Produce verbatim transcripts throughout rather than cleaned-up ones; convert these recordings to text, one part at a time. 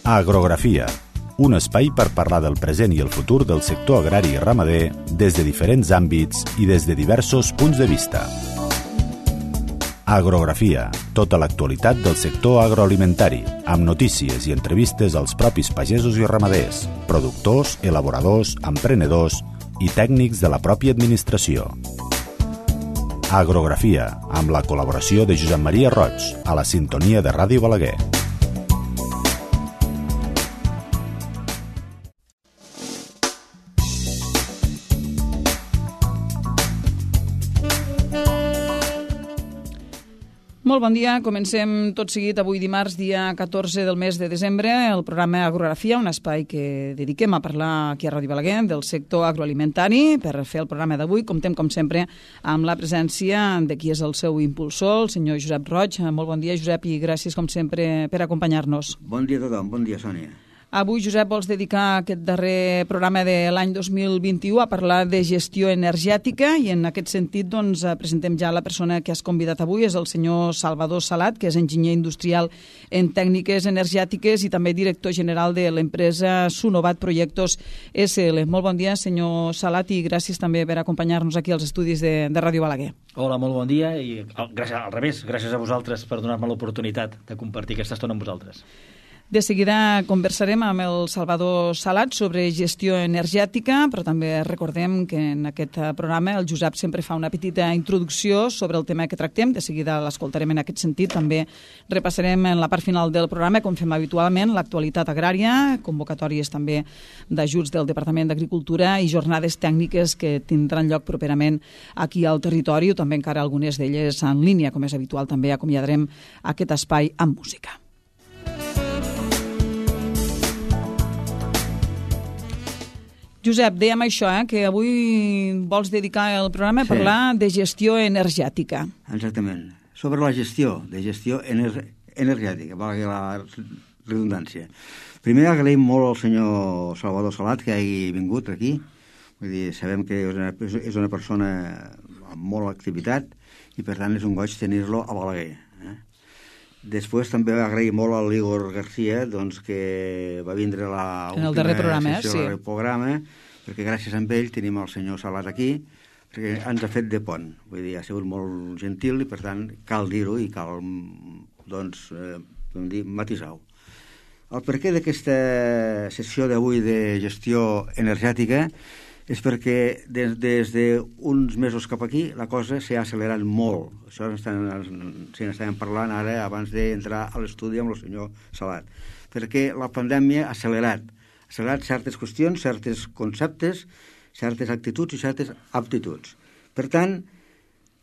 Agrografia, un espai per parlar del present i el futur del sector agrari i ramader des de diferents àmbits i des de diversos punts de vista. Agrografia, tota l'actualitat del sector agroalimentari, amb notícies i entrevistes als propis pagesos i ramaders, productors, elaboradors, emprenedors i tècnics de la pròpia administració. Agrografia, amb la col·laboració de Josep Maria Roig, a la sintonia de Ràdio Balaguer. Molt bon dia. Comencem tot seguit avui dimarts, dia catorze del mes de desembre, el programa Agrografia, un espai que dediquem a parlar aquí a Ràdio Balaguer del sector agroalimentari. Per fer el programa d'avui comptem, com sempre, amb la presència de qui és el seu impulsor, el senyor Josep Roig. Molt bon dia, Josep, i gràcies, com sempre, per acompanyar-nos. Bon dia a tothom. Bon dia, Sònia. Avui, Josep, vols dedicar aquest darrer programa de l'any dos mil vint-i-u a parlar de gestió energètica i en aquest sentit doncs, presentem ja la persona que has convidat avui, és el senyor Salvador Salat, que és enginyer industrial en tècniques energètiques i també director general de l'empresa Sunovat Projectos S L. Molt bon dia, senyor Salat, i gràcies també per acompanyar-nos aquí als estudis de, de Ràdio Balaguer. Hola, molt bon dia i gràcies, al revés, gràcies a vosaltres per donar-me l'oportunitat de compartir aquesta estona amb vosaltres. De seguida conversarem amb el Salvador Salat sobre gestió energètica, però també recordem que en aquest programa el Josep sempre fa una petita introducció sobre el tema que tractem. De seguida l'escoltarem en aquest sentit. També repassarem en la part final del programa, com fem habitualment, l'actualitat agrària, convocatòries també d'ajuts del Departament d'Agricultura i jornades tècniques que tindran lloc properament aquí al territori, o també encara algunes d'elles en línia, com és habitual. També acomiadarem aquest espai amb música. Josep, dèiem això, eh, que avui vols dedicar el programa a sí. parlar de gestió energètica. Exactament. Sobre la gestió, de gestió ener energètica, valgui la redundància. Primer agraïm molt al senyor Salvador Salat que hagi vingut aquí. Vull dir, sabem que és una, és una persona amb molt activitat i per tant és un goig tenir-lo a Balaguer. Eh? Després també agraïm molt a l'Igor García, doncs, que va vindre la en el darrer programa, sessió sí. del programa, perquè gràcies a ell tenim el senyor Salat aquí, perquè ens ha fet de pont. Vull dir, ha sigut molt gentil i, per tant, cal dir-ho i cal, doncs, eh, com dir, matisar-ho. El perquè d'aquesta sessió d'avui de gestió energètica és perquè des, des d'uns mesos cap aquí la cosa s'ha accelerat molt. Això se n'estàvem parlant ara abans d'entrar a l'estudi amb el senyor Salat. Perquè la pandèmia ha accelerat. Ha accelerat certes qüestions, certes conceptes, certes actituds i certes aptituds. Per tant,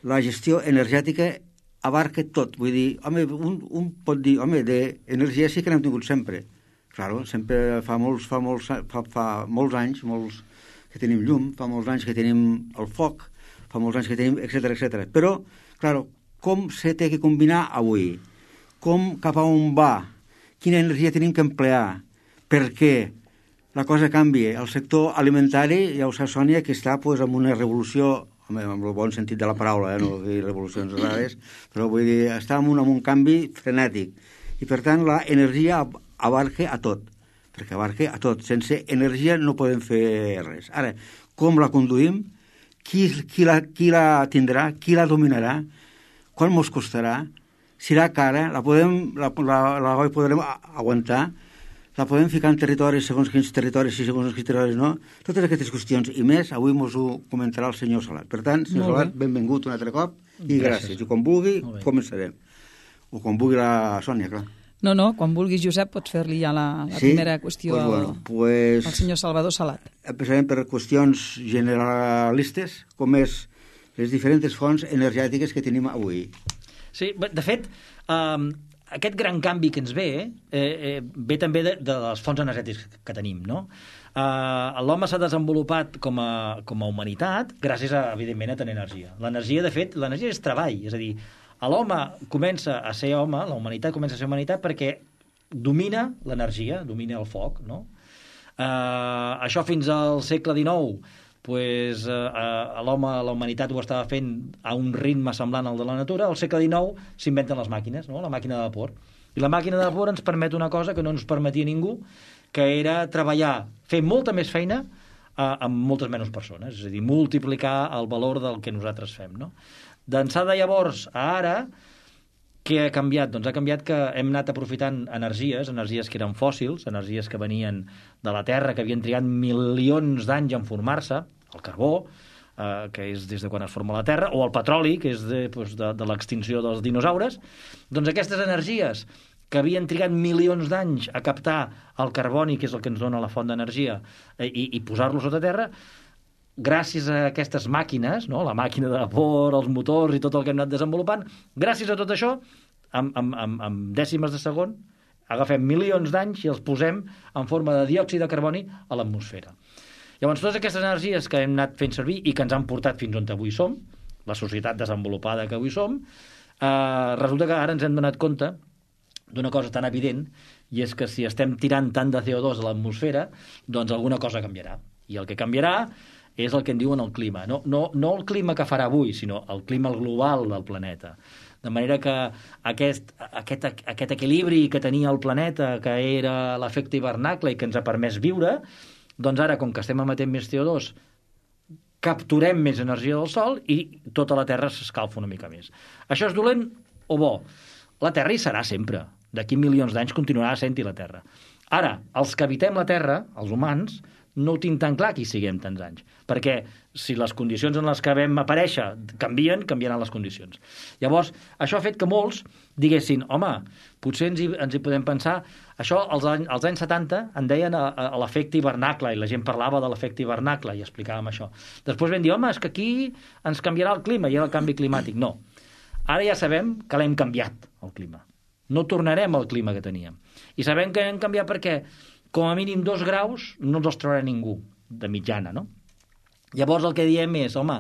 la gestió energètica abarca tot. Vull dir, home, un, un pot dir, home, d'energia sí que n'hem tingut sempre. Claro, sempre fa molts, fa molts, fa, fa molts anys, molts que tenim llum, fa molts anys que tenim el foc, fa molts anys que tenim, etcètera, etcètera. Però, clar, com se té que combinar avui? Com, cap a on va? Quina energia tenim que emplear? Per què? La cosa canvia. El sector alimentari, ja ho sap, Sònia, que està pues, en una revolució, amb el bon sentit de la paraula, eh? No vull dir revolucions rares, però vull dir, està en un, en un canvi frenètic. I, per tant, la energia abarca a tot. perquè abarca a tot. Sense energia no podem fer res. Ara, com la conduïm? Qui, qui, la, qui la tindrà? Qui la dominarà? Quan ens costarà? Serà cara? La podem, la, la, la, la podrem aguantar? La podem ficar en territoris, segons quins territoris i segons quins territoris no? Totes aquestes qüestions i més, avui ens ho comentarà el senyor Salat. Per tant, senyor Salat, benvingut un altre cop i gràcies. gràcies. I quan vulgui, començarem. O quan vulgui la Sònia, clar. No, no, quan vulguis, Josep, pots fer-li ja la, la sí? primera qüestió pues, bueno, pues, al senyor Salvador Salat. Empezarem per qüestions generalistes, com és les diferents fonts energètiques que tenim avui. Sí, de fet, um, aquest gran canvi que ens ve eh, eh, ve també de, de les fonts energètiques que tenim, no? Uh, L'home s'ha desenvolupat com a, com a humanitat gràcies, a, evidentment, a tenir energia. L'energia, de fet, l'energia és treball, és a dir, l'home comença a ser home, la humanitat comença a ser humanitat perquè domina l'energia, domina el foc, no? Uh, això fins al segle dinou, pues, uh, l'home, la humanitat ho estava fent a un ritme semblant al de la natura. Al segle dinou s'inventen les màquines, no? La màquina de vapor. I la màquina de vapor ens permet una cosa que no ens permetia ningú, que era treballar, fer molta més feina eh, amb moltes menys persones, és a dir, multiplicar el valor del que nosaltres fem, no? D'ençà de llavors a ara, què ha canviat? Doncs ha canviat que hem anat aprofitant energies, energies que eren fòssils, energies que venien de la Terra, que havien trigat milions d'anys en formar-se, el carbó, eh, que és des de quan es forma la Terra, o el petroli, que és de, doncs, de, de l'extinció dels dinosaures. Doncs aquestes energies que havien trigat milions d'anys a captar el carboni, que és el que ens dona la font d'energia, eh, i, i posar-lo sota terra, gràcies a aquestes màquines, no? La màquina de vapor, els motors i tot el que hem anat desenvolupant, gràcies a tot això, amb, amb, amb, amb dècimes de segon, agafem milions d'anys i els posem en forma de diòxid de carboni a l'atmosfera. Llavors, totes aquestes energies que hem anat fent servir i que ens han portat fins on avui som, la societat desenvolupada que avui som, eh, resulta que ara ens hem donat compte d'una cosa tan evident, i és que si estem tirant tant de C O dos a l'atmosfera, doncs alguna cosa canviarà. I el que canviarà és el que en diuen el clima. No, no, no el clima que farà avui, sinó el clima global del planeta. De manera que aquest, aquest, aquest equilibri que tenia el planeta, que era l'efecte hivernacle i que ens ha permès viure, doncs ara, com que estem emetent més C O dos, capturem més energia del Sol i tota la Terra s'escalfa una mica més. Això és dolent o bo? La Terra hi serà sempre. D'aquí milions d'anys continuarà sent-hi la Terra. Ara, els que habitem la Terra, els humans, no ho tinc tan clar que hi siguem tants anys, perquè si les condicions en les que vam aparèixer canvien, canviaran les condicions. Llavors, això ha fet que molts diguessin, home, potser ens hi, ens hi podem pensar, això als, any, als anys setanta en deien a, a, a l'efecte hivernacle, i la gent parlava de l'efecte hivernacle, i explicàvem això. Després vam dir, home, és que aquí ens canviarà el clima, i era el canvi climàtic. No. Ara ja sabem que l'hem canviat, el clima. No tornarem al clima que teníem. I sabem que hem canviat perquè com a mínim dos graus no ens els trobarà ningú, de mitjana, no? Llavors el que diem és, home,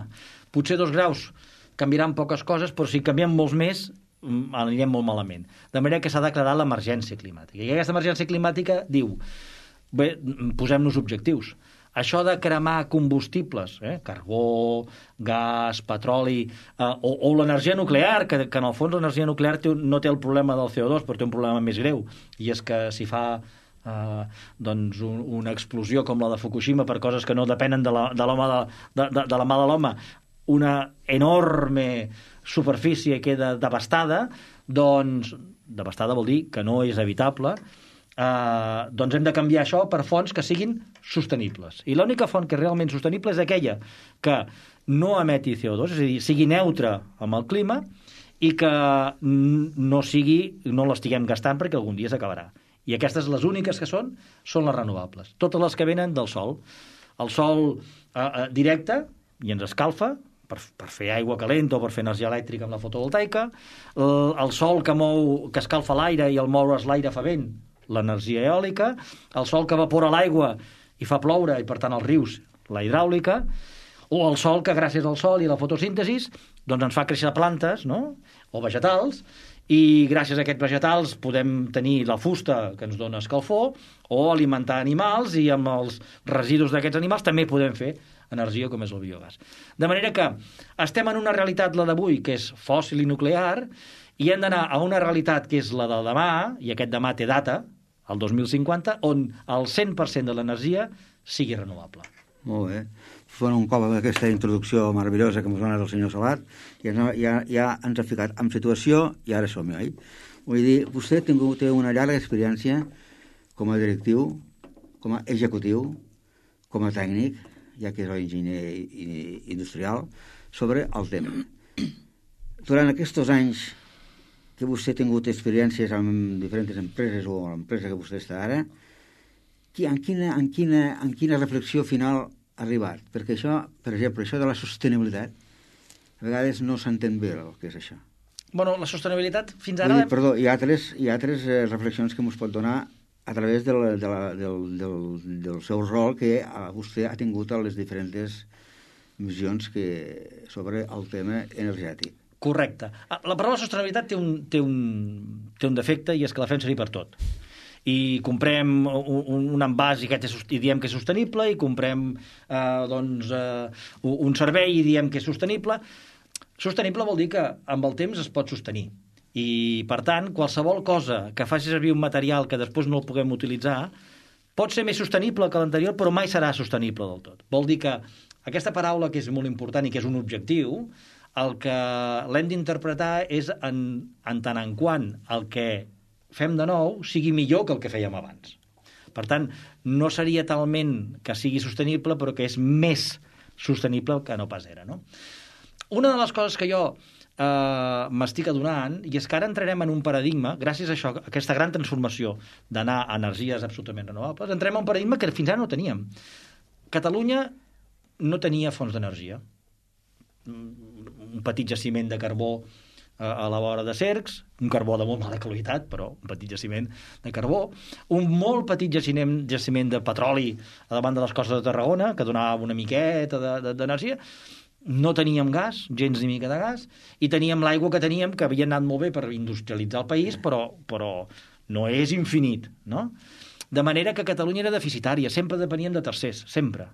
potser dos graus canviaran poques coses, però si canviem molts més, anirem molt malament. De manera que s'ha declarat l'emergència climàtica. I aquesta emergència climàtica diu, bé, posem-nos objectius. Això de cremar combustibles, eh? Carbó, gas, petroli, eh, o, o l'energia nuclear, que, que en el fons l'energia nuclear té, no té el problema del C O dos, però té un problema més greu, i és que si fa Uh, doncs un, una explosió com la de Fukushima per coses que no depenen de la, de l'home de, de, de, de la mà de l'home, una enorme superfície queda devastada, doncs devastada vol dir que no és habitable, uh, doncs hem de canviar això per fonts que siguin sostenibles. I l'única font que és realment sostenible és aquella que no emeti C O dos, és a dir, sigui neutra amb el clima i que no sigui, no l'estiguem gastant perquè algun dia s'acabarà. I aquestes, les úniques que són, són les renovables. Totes les que venen del sol. El sol eh, eh, directe, i ens escalfa, per, per fer aigua calenta o per fer energia elèctrica amb la fotovoltaica. El, el sol que mou, que escalfa l'aire i al moure's l'aire fa vent, l'energia eòlica. El sol que evapora l'aigua i fa ploure, i per tant els rius, la hidràulica. O el sol que gràcies al sol i a la fotosíntesis doncs ens fa créixer plantes, no? O vegetals, i gràcies a aquests vegetals podem tenir la fusta que ens dona escalfor o alimentar animals, i amb els residus d'aquests animals també podem fer energia com és el biogàs. De manera que estem en una realitat, la d'avui, que és fòssil i nuclear, i hem d'anar a una realitat que és la del demà, i aquest demà té data, el dos mil cinquanta, on el cent per cent de l'energia sigui renovable. Molt bé. Fent un cop amb aquesta introducció meravellosa que ens ha donat el senyor Salat, ja, ja, ja ens ha ficat en situació i ara som-hi, oi? Vull dir, vostè té una llarga experiència com a directiu, com a executiu, com a tècnic, ja que és enginyer industrial, sobre el tema. Durant aquests anys que vostè ha tingut experiències amb diferents empreses o l'empresa que vostè està ara, en quina, en quina, en quina reflexió final ha arribat? Perquè això, per exemple, això de la sostenibilitat, a vegades no s'entén bé el que és això. Bueno, la sostenibilitat fins ara... Dir, perdó, hi ha altres, hi ha altres eh, reflexions que ens pot donar a través del, de la, del, del, del seu rol que vostè ha tingut a les diferents missions que, sobre el tema energètic. Correcte. La paraula sostenibilitat té un, té un, té un defecte, i és que la fem servir per tot. I comprem un, un envàs i, és, i diem que és sostenible, i comprem eh, doncs, eh, un servei i diem que és sostenible. Sostenible vol dir que amb el temps es pot sostenir. I, per tant, qualsevol cosa que faci servir un material que després no el puguem utilitzar pot ser més sostenible que l'anterior, però mai serà sostenible del tot. Vol dir que aquesta paraula, que és molt important i que és un objectiu, el que l'hem d'interpretar és en, en tant en quant el que fem de nou sigui millor que el que fèiem abans. Per tant, no seria talment que sigui sostenible, però que és més sostenible que no pas era, no? Una de les coses que jo eh, m'estic adonant, i és que ara entrarem en un paradigma, gràcies a això, a aquesta gran transformació d'anar a energies absolutament renovables, entrem en un paradigma que fins ara no teníem. Catalunya no tenia fonts d'energia. Un petit jaciment de carbó a la vora de Cercs, un carbó de molt mala qualitat, però un petit jaciment de carbó, un molt petit jaciment, jaciment de petroli a davant de les costes de Tarragona, que donava una miqueta d'energia. No teníem gas, gens ni mica de gas, i teníem l'aigua que teníem, que havia anat molt bé per industrialitzar el país, però, però no és infinit, no? De manera que Catalunya era deficitària, sempre depeníem de tercers, sempre.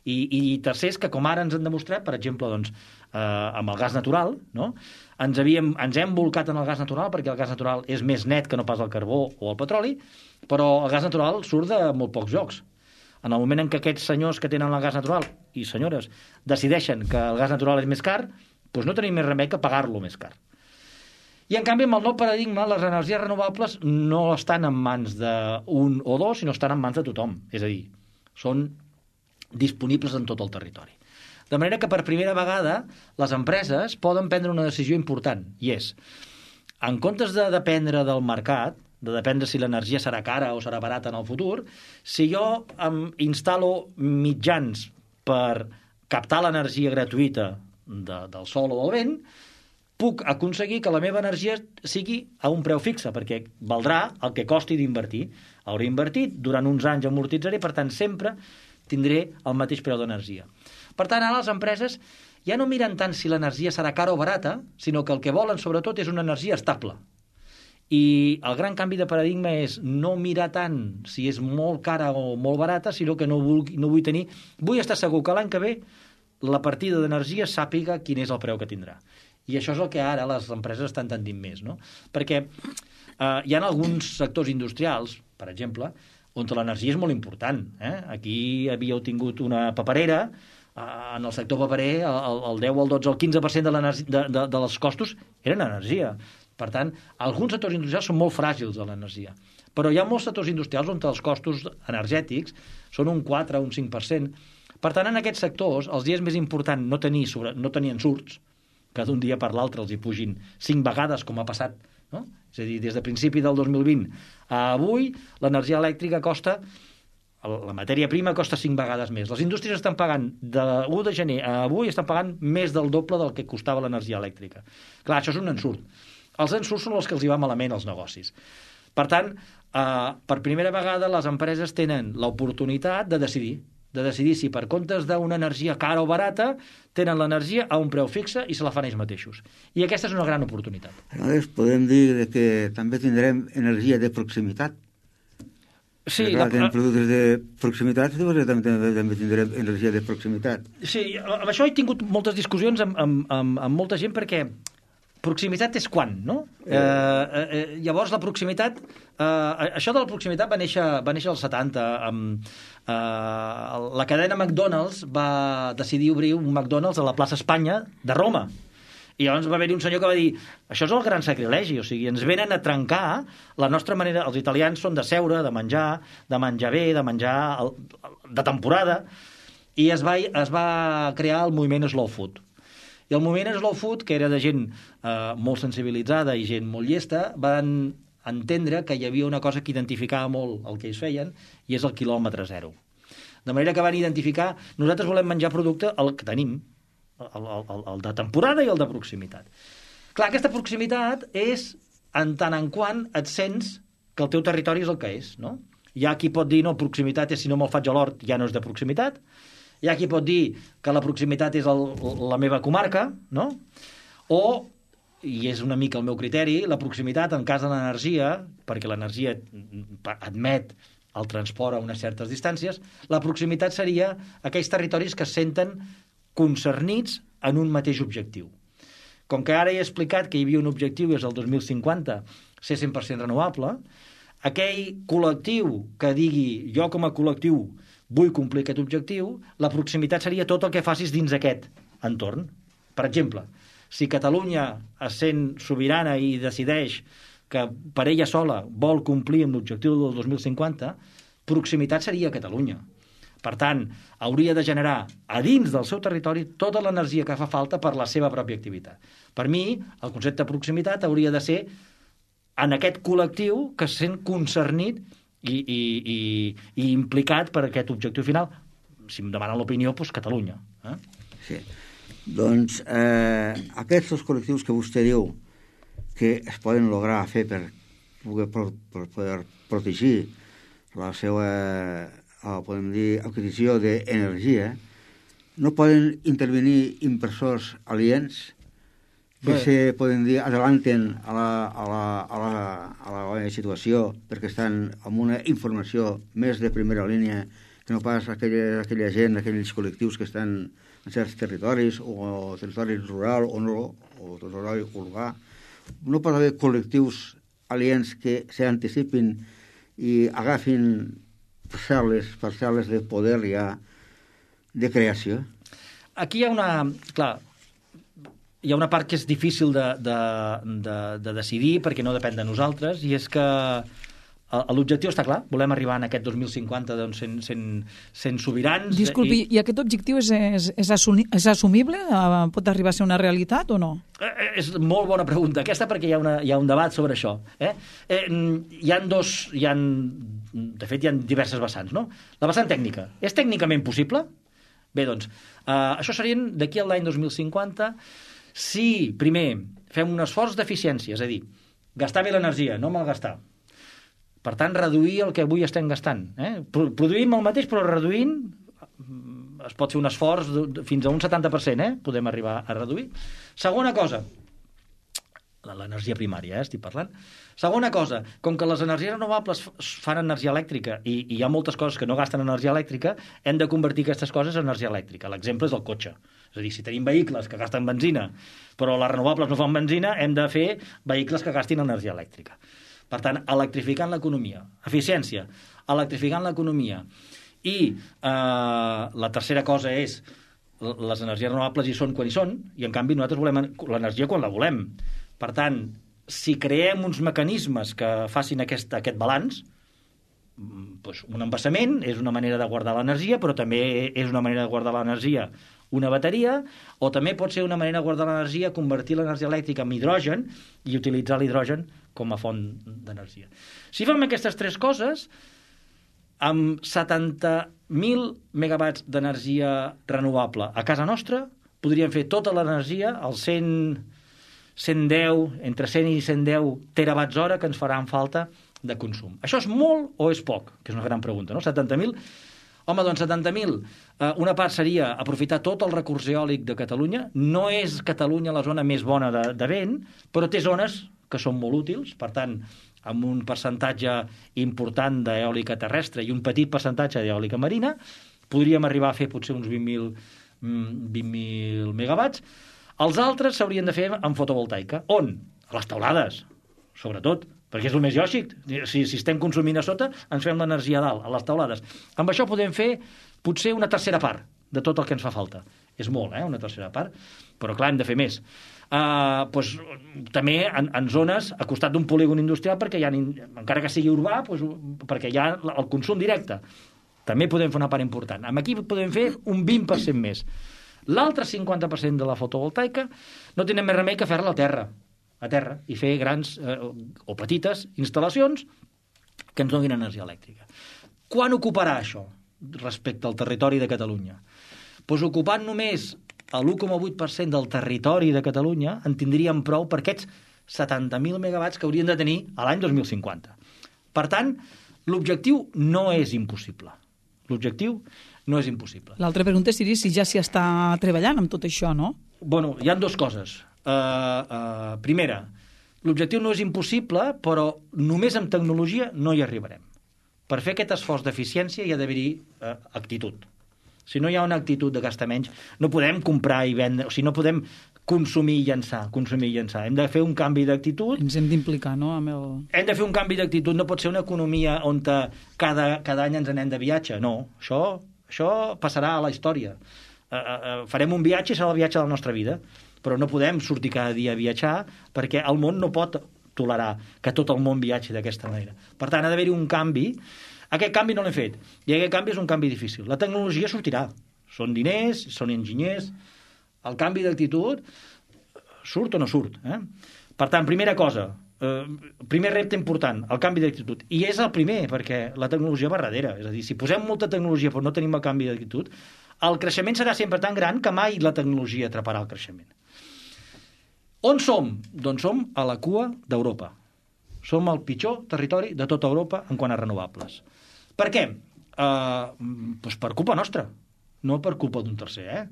I, i tercers que, com ara ens han demostrat, per exemple, doncs, eh, amb el gas natural, no? ens, havíem, ens hem volcat en el gas natural perquè el gas natural és més net que no pas el carbó o el petroli, però el gas natural surt de molt pocs llocs. En el moment en què aquests senyors que tenen el gas natural i senyores decideixen que el gas natural és més car, doncs no tenim més remei que pagar-lo més car. I, en canvi, amb el nou paradigma, les energies renovables no estan en mans d'un o dos, sinó estan en mans de tothom. És a dir, són disponibles en tot el territori. De manera que per primera vegada les empreses poden prendre una decisió important, i és, en comptes de dependre del mercat, de dependre si l'energia serà cara o serà barata en el futur, si jo em instal·lo mitjans per captar l'energia gratuïta de, del sol o del vent, puc aconseguir que la meva energia sigui a un preu fixe, perquè valdrà el que costi d'invertir. Hauré invertit, durant uns anys amortitzaré, per tant, sempre tindré el mateix preu d'energia. Per tant, ara les empreses ja no miren tant si l'energia serà cara o barata, sinó que el que volen, sobretot, és una energia estable. I el gran canvi de paradigma és no mirar tant si és molt cara o molt barata, sinó que no vull, no vull tenir... Vull estar segur que l'any que ve la partida d'energia sàpiga quin és el preu que tindrà. I això és el que ara les empreses estan tendint més, no? Perquè eh, hi ha alguns sectors industrials, per exemple, on l'energia és molt important. Eh? Aquí havíeu tingut una paperera, eh, en el sector paperer el, el deu, el dotze, el quinze per cent de, de, de, de els costos eren energia. Per tant, alguns sectors industrials són molt fràgils de l'energia. Però hi ha molts sectors industrials on els costos energètics són un quatre o un cinc per cent. Per tant, en aquests sectors, els dies més important no tenir, sobre, no tenir ensurts, que d'un dia per l'altre els hi pugin cinc vegades, com ha passat, no? És a dir, des de principi del dos mil vint a avui, l'energia elèctrica costa, la matèria prima costa cinc vegades més. Les indústries estan pagant, de l'u de gener a avui, estan pagant més del doble del que costava l'energia elèctrica. Clar, això és un ensurt. Els ensurts són els que els hi va malament als negocis. Per tant, eh, per primera vegada les empreses tenen l'oportunitat de decidir de decidir si per comptes d'una energia cara o barata tenen l'energia a un preu fixe i se la fan ells mateixos. I aquesta és una gran oportunitat. Aleshores, podem dir que també tindrem energia de proximitat. Sí, clar, la... tenim productes de proximitat, també, també, també tindrem energia de proximitat. Sí, amb això he tingut moltes discussions amb, amb, amb, amb molta gent perquè proximitat és quan, no? Eh, eh, llavors la proximitat, eh, això de la proximitat va néixer, va néixer als setanta, amb, eh, la cadena McDonald's va decidir obrir un McDonald's a la plaça Espanya de Roma. I llavors va haver-hi un senyor que va dir això és el gran sacrilegi, o sigui, ens venen a trencar la nostra manera, els italians són de seure, de menjar, de menjar bé, de menjar de temporada, i es va, es va crear el moviment Slow Food. I el moviment Slow Food, que era de gent eh, molt sensibilitzada i gent molt llesta, van entendre que hi havia una cosa que identificava molt el que ells feien, i és el quilòmetre zero. De manera que van identificar, nosaltres volem menjar producte el que tenim, el, el, el de temporada i el de proximitat. Clar, aquesta proximitat és en tant en quant et sents que el teu territori és el que és, no? Hi ha qui pot dir, no, proximitat és si no me'l faig a l'hort ja no és de proximitat. Hi ha qui pot dir que la proximitat és el, la meva comarca, no? O, i és una mica el meu criteri, la proximitat en cas de l'energia, perquè l'energia admet el transport a unes certes distàncies, la proximitat seria aquells territoris que es senten concernits en un mateix objectiu. Com que ara he explicat que hi havia un objectiu i és el dos mil cinquanta ser cent per cent renovable, aquell col·lectiu que digui jo com a col·lectiu vull complir aquest objectiu, la proximitat seria tot el que facis dins aquest entorn. Per exemple, si Catalunya es sent sobirana i decideix que per ella sola vol complir amb l'objectiu del dos mil cinquanta, proximitat seria Catalunya. Per tant, hauria de generar a dins del seu territori tota l'energia que fa falta per la seva pròpia activitat. Per mi, el concepte de proximitat hauria de ser en aquest col·lectiu que es sent concernit i, i, i, i implicat per aquest objectiu final. Si em demanen l'opinió, doncs Catalunya. Eh? Sí. Doncs eh, aquests col·lectius que vostè diu que es poden lograr fer per poder, per, per poder protegir la seva, o podem dir, adquisició d'energia, no poden intervenir inversors aliens que Bé. se poden dir adelanten a la, a, la, a, la, a la situació perquè estan amb una informació més de primera línia que no pas aquella, aquella gent, aquells col·lectius que estan en certs territoris o territoris rural o no, o territori urbà. No pot haver col·lectius aliens que s'anticipin i agafin parcel·les, parcel·les de poder ja de creació. Aquí hi ha una... Clar, hi ha una part que és difícil de, de, de, de decidir perquè no depèn de nosaltres, i és que l'objectiu està clar, volem arribar en aquest dos mil cinquanta doncs, sent, sent, sent sobirans. Disculpi, i, i aquest objectiu és, és, és, assumi, és assumible? Pot arribar a ser una realitat o no? Eh, és molt bona pregunta aquesta perquè hi ha, una, hi ha un debat sobre això. Eh? Eh, hi ha dos... Hi ha, de fet, hi ha diverses vessants, no? La vessant tècnica. És tècnicament possible? Bé, doncs, eh, això serien d'aquí a l'any dos mil cinquanta si, primer, fem un esforç d'eficiència, és a dir, gastar bé l'energia, no malgastar. Per tant, reduir el que avui estem gastant. Eh? Produïm el mateix, però reduint es pot fer un esforç fins a un setanta per cent, eh? Podem arribar a reduir. Segona cosa, l'energia primària, eh? Estic parlant. Segona cosa, com que les energies renovables fan energia elèctrica i, i hi ha moltes coses que no gasten energia elèctrica, hem de convertir aquestes coses en energia elèctrica. L'exemple és el cotxe. És a dir, si tenim vehicles que gasten benzina, però les renovables no fan benzina, hem de fer vehicles que gastin energia elèctrica. Per tant, electrificant l'economia. Eficiència, electrificant l'economia. I eh, la tercera cosa és les energies renovables hi són quan hi són, i en canvi nosaltres volem l'energia quan la volem. Per tant, si creem uns mecanismes que facin aquest, aquest balanç, doncs un embassament és una manera de guardar l'energia, però també és una manera de guardar l'energia una bateria, o també pot ser una manera de guardar l'energia, convertir l'energia elèctrica en hidrogen i utilitzar l'hidrogen com a font d'energia. Si fem aquestes tres coses, amb setanta mil megawatts d'energia renovable a casa nostra, podríem fer tota l'energia, els cent, cent deu, entre cent i cent deu terawatts hora que ens faran falta de consum. Això és molt o és poc? Que és una gran pregunta, no? setanta mil... Home, doncs setanta mil. Una part seria aprofitar tot el recurs eòlic de Catalunya. No és Catalunya la zona més bona de, de vent, però té zones que són molt útils. Per tant, amb un percentatge important d'eòlica terrestre i un petit percentatge d'eòlica marina, podríem arribar a fer potser uns vint mil megawatts. Els altres s'haurien de fer amb fotovoltaica. On? A les teulades, sobretot, perquè és el més lògic. Si, si estem consumint a sota, ens fem l'energia a dalt, a les teulades. Amb això podem fer potser una tercera part de tot el que ens fa falta. És molt, eh?, una tercera part, però clar, hem de fer més. Uh, doncs, també en, en zones a costat d'un polígon industrial, perquè hi ha, encara que sigui urbà, doncs, perquè hi ha el consum directe. També podem fer una part important. Amb aquí podem fer un vint per cent més. L'altre cinquanta per cent de la fotovoltaica no tenen més remei que fer-la a terra, a terra, i fer grans eh, o petites instal·lacions que ens donin energia elèctrica. Quan ocuparà això respecte al territori de Catalunya? Doncs ocupant només l'u coma vuit per cent del territori de Catalunya en tindríem prou per aquests setanta mil megawatts que haurien de tenir a l'any dos mil cinquanta. Per tant, l'objectiu no és impossible. L'objectiu no és impossible. L'altra pregunta seria si ja s'hi està treballant amb tot això, no? Bueno, hi ha dues coses. Uh, uh, primera, l'objectiu no és impossible, però només amb tecnologia no hi arribarem. Per fer aquest esforç d'eficiència hi ha d'haver-hi uh, actitud. Si no hi ha una actitud de gastar menys, no podem comprar i vendre, o sigui, no podem consumir i llançar, consumir i llançar. Hem de fer un canvi d'actitud. Ens hem d'implicar, no?, amb el... Hem de fer un canvi d'actitud. No pot ser una economia on cada, cada any ens anem de viatge. No, això, això passarà a la història. Uh, uh, farem un viatge i serà el viatge de la nostra vida, però no podem sortir cada dia a viatjar perquè el món no pot tolerar que tot el món viatgi d'aquesta manera. Per tant, ha d'haver-hi un canvi. Aquest canvi no l'hem fet, i aquest canvi és un canvi difícil. La tecnologia sortirà. Són diners, són enginyers. El canvi d'actitud surt o no surt. Eh? Per tant, primera cosa, eh, primer repte important, el canvi d'actitud. I és el primer, perquè la tecnologia va darrere. És a dir, si posem molta tecnologia però no tenim el canvi d'actitud, el creixement serà sempre tan gran que mai la tecnologia atraparà el creixement. On som? Doncs som a la cua d'Europa. Som el pitjor territori de tota Europa en quant a renovables. Per què? Uh, doncs per culpa nostra, no per culpa d'un tercer. Eh?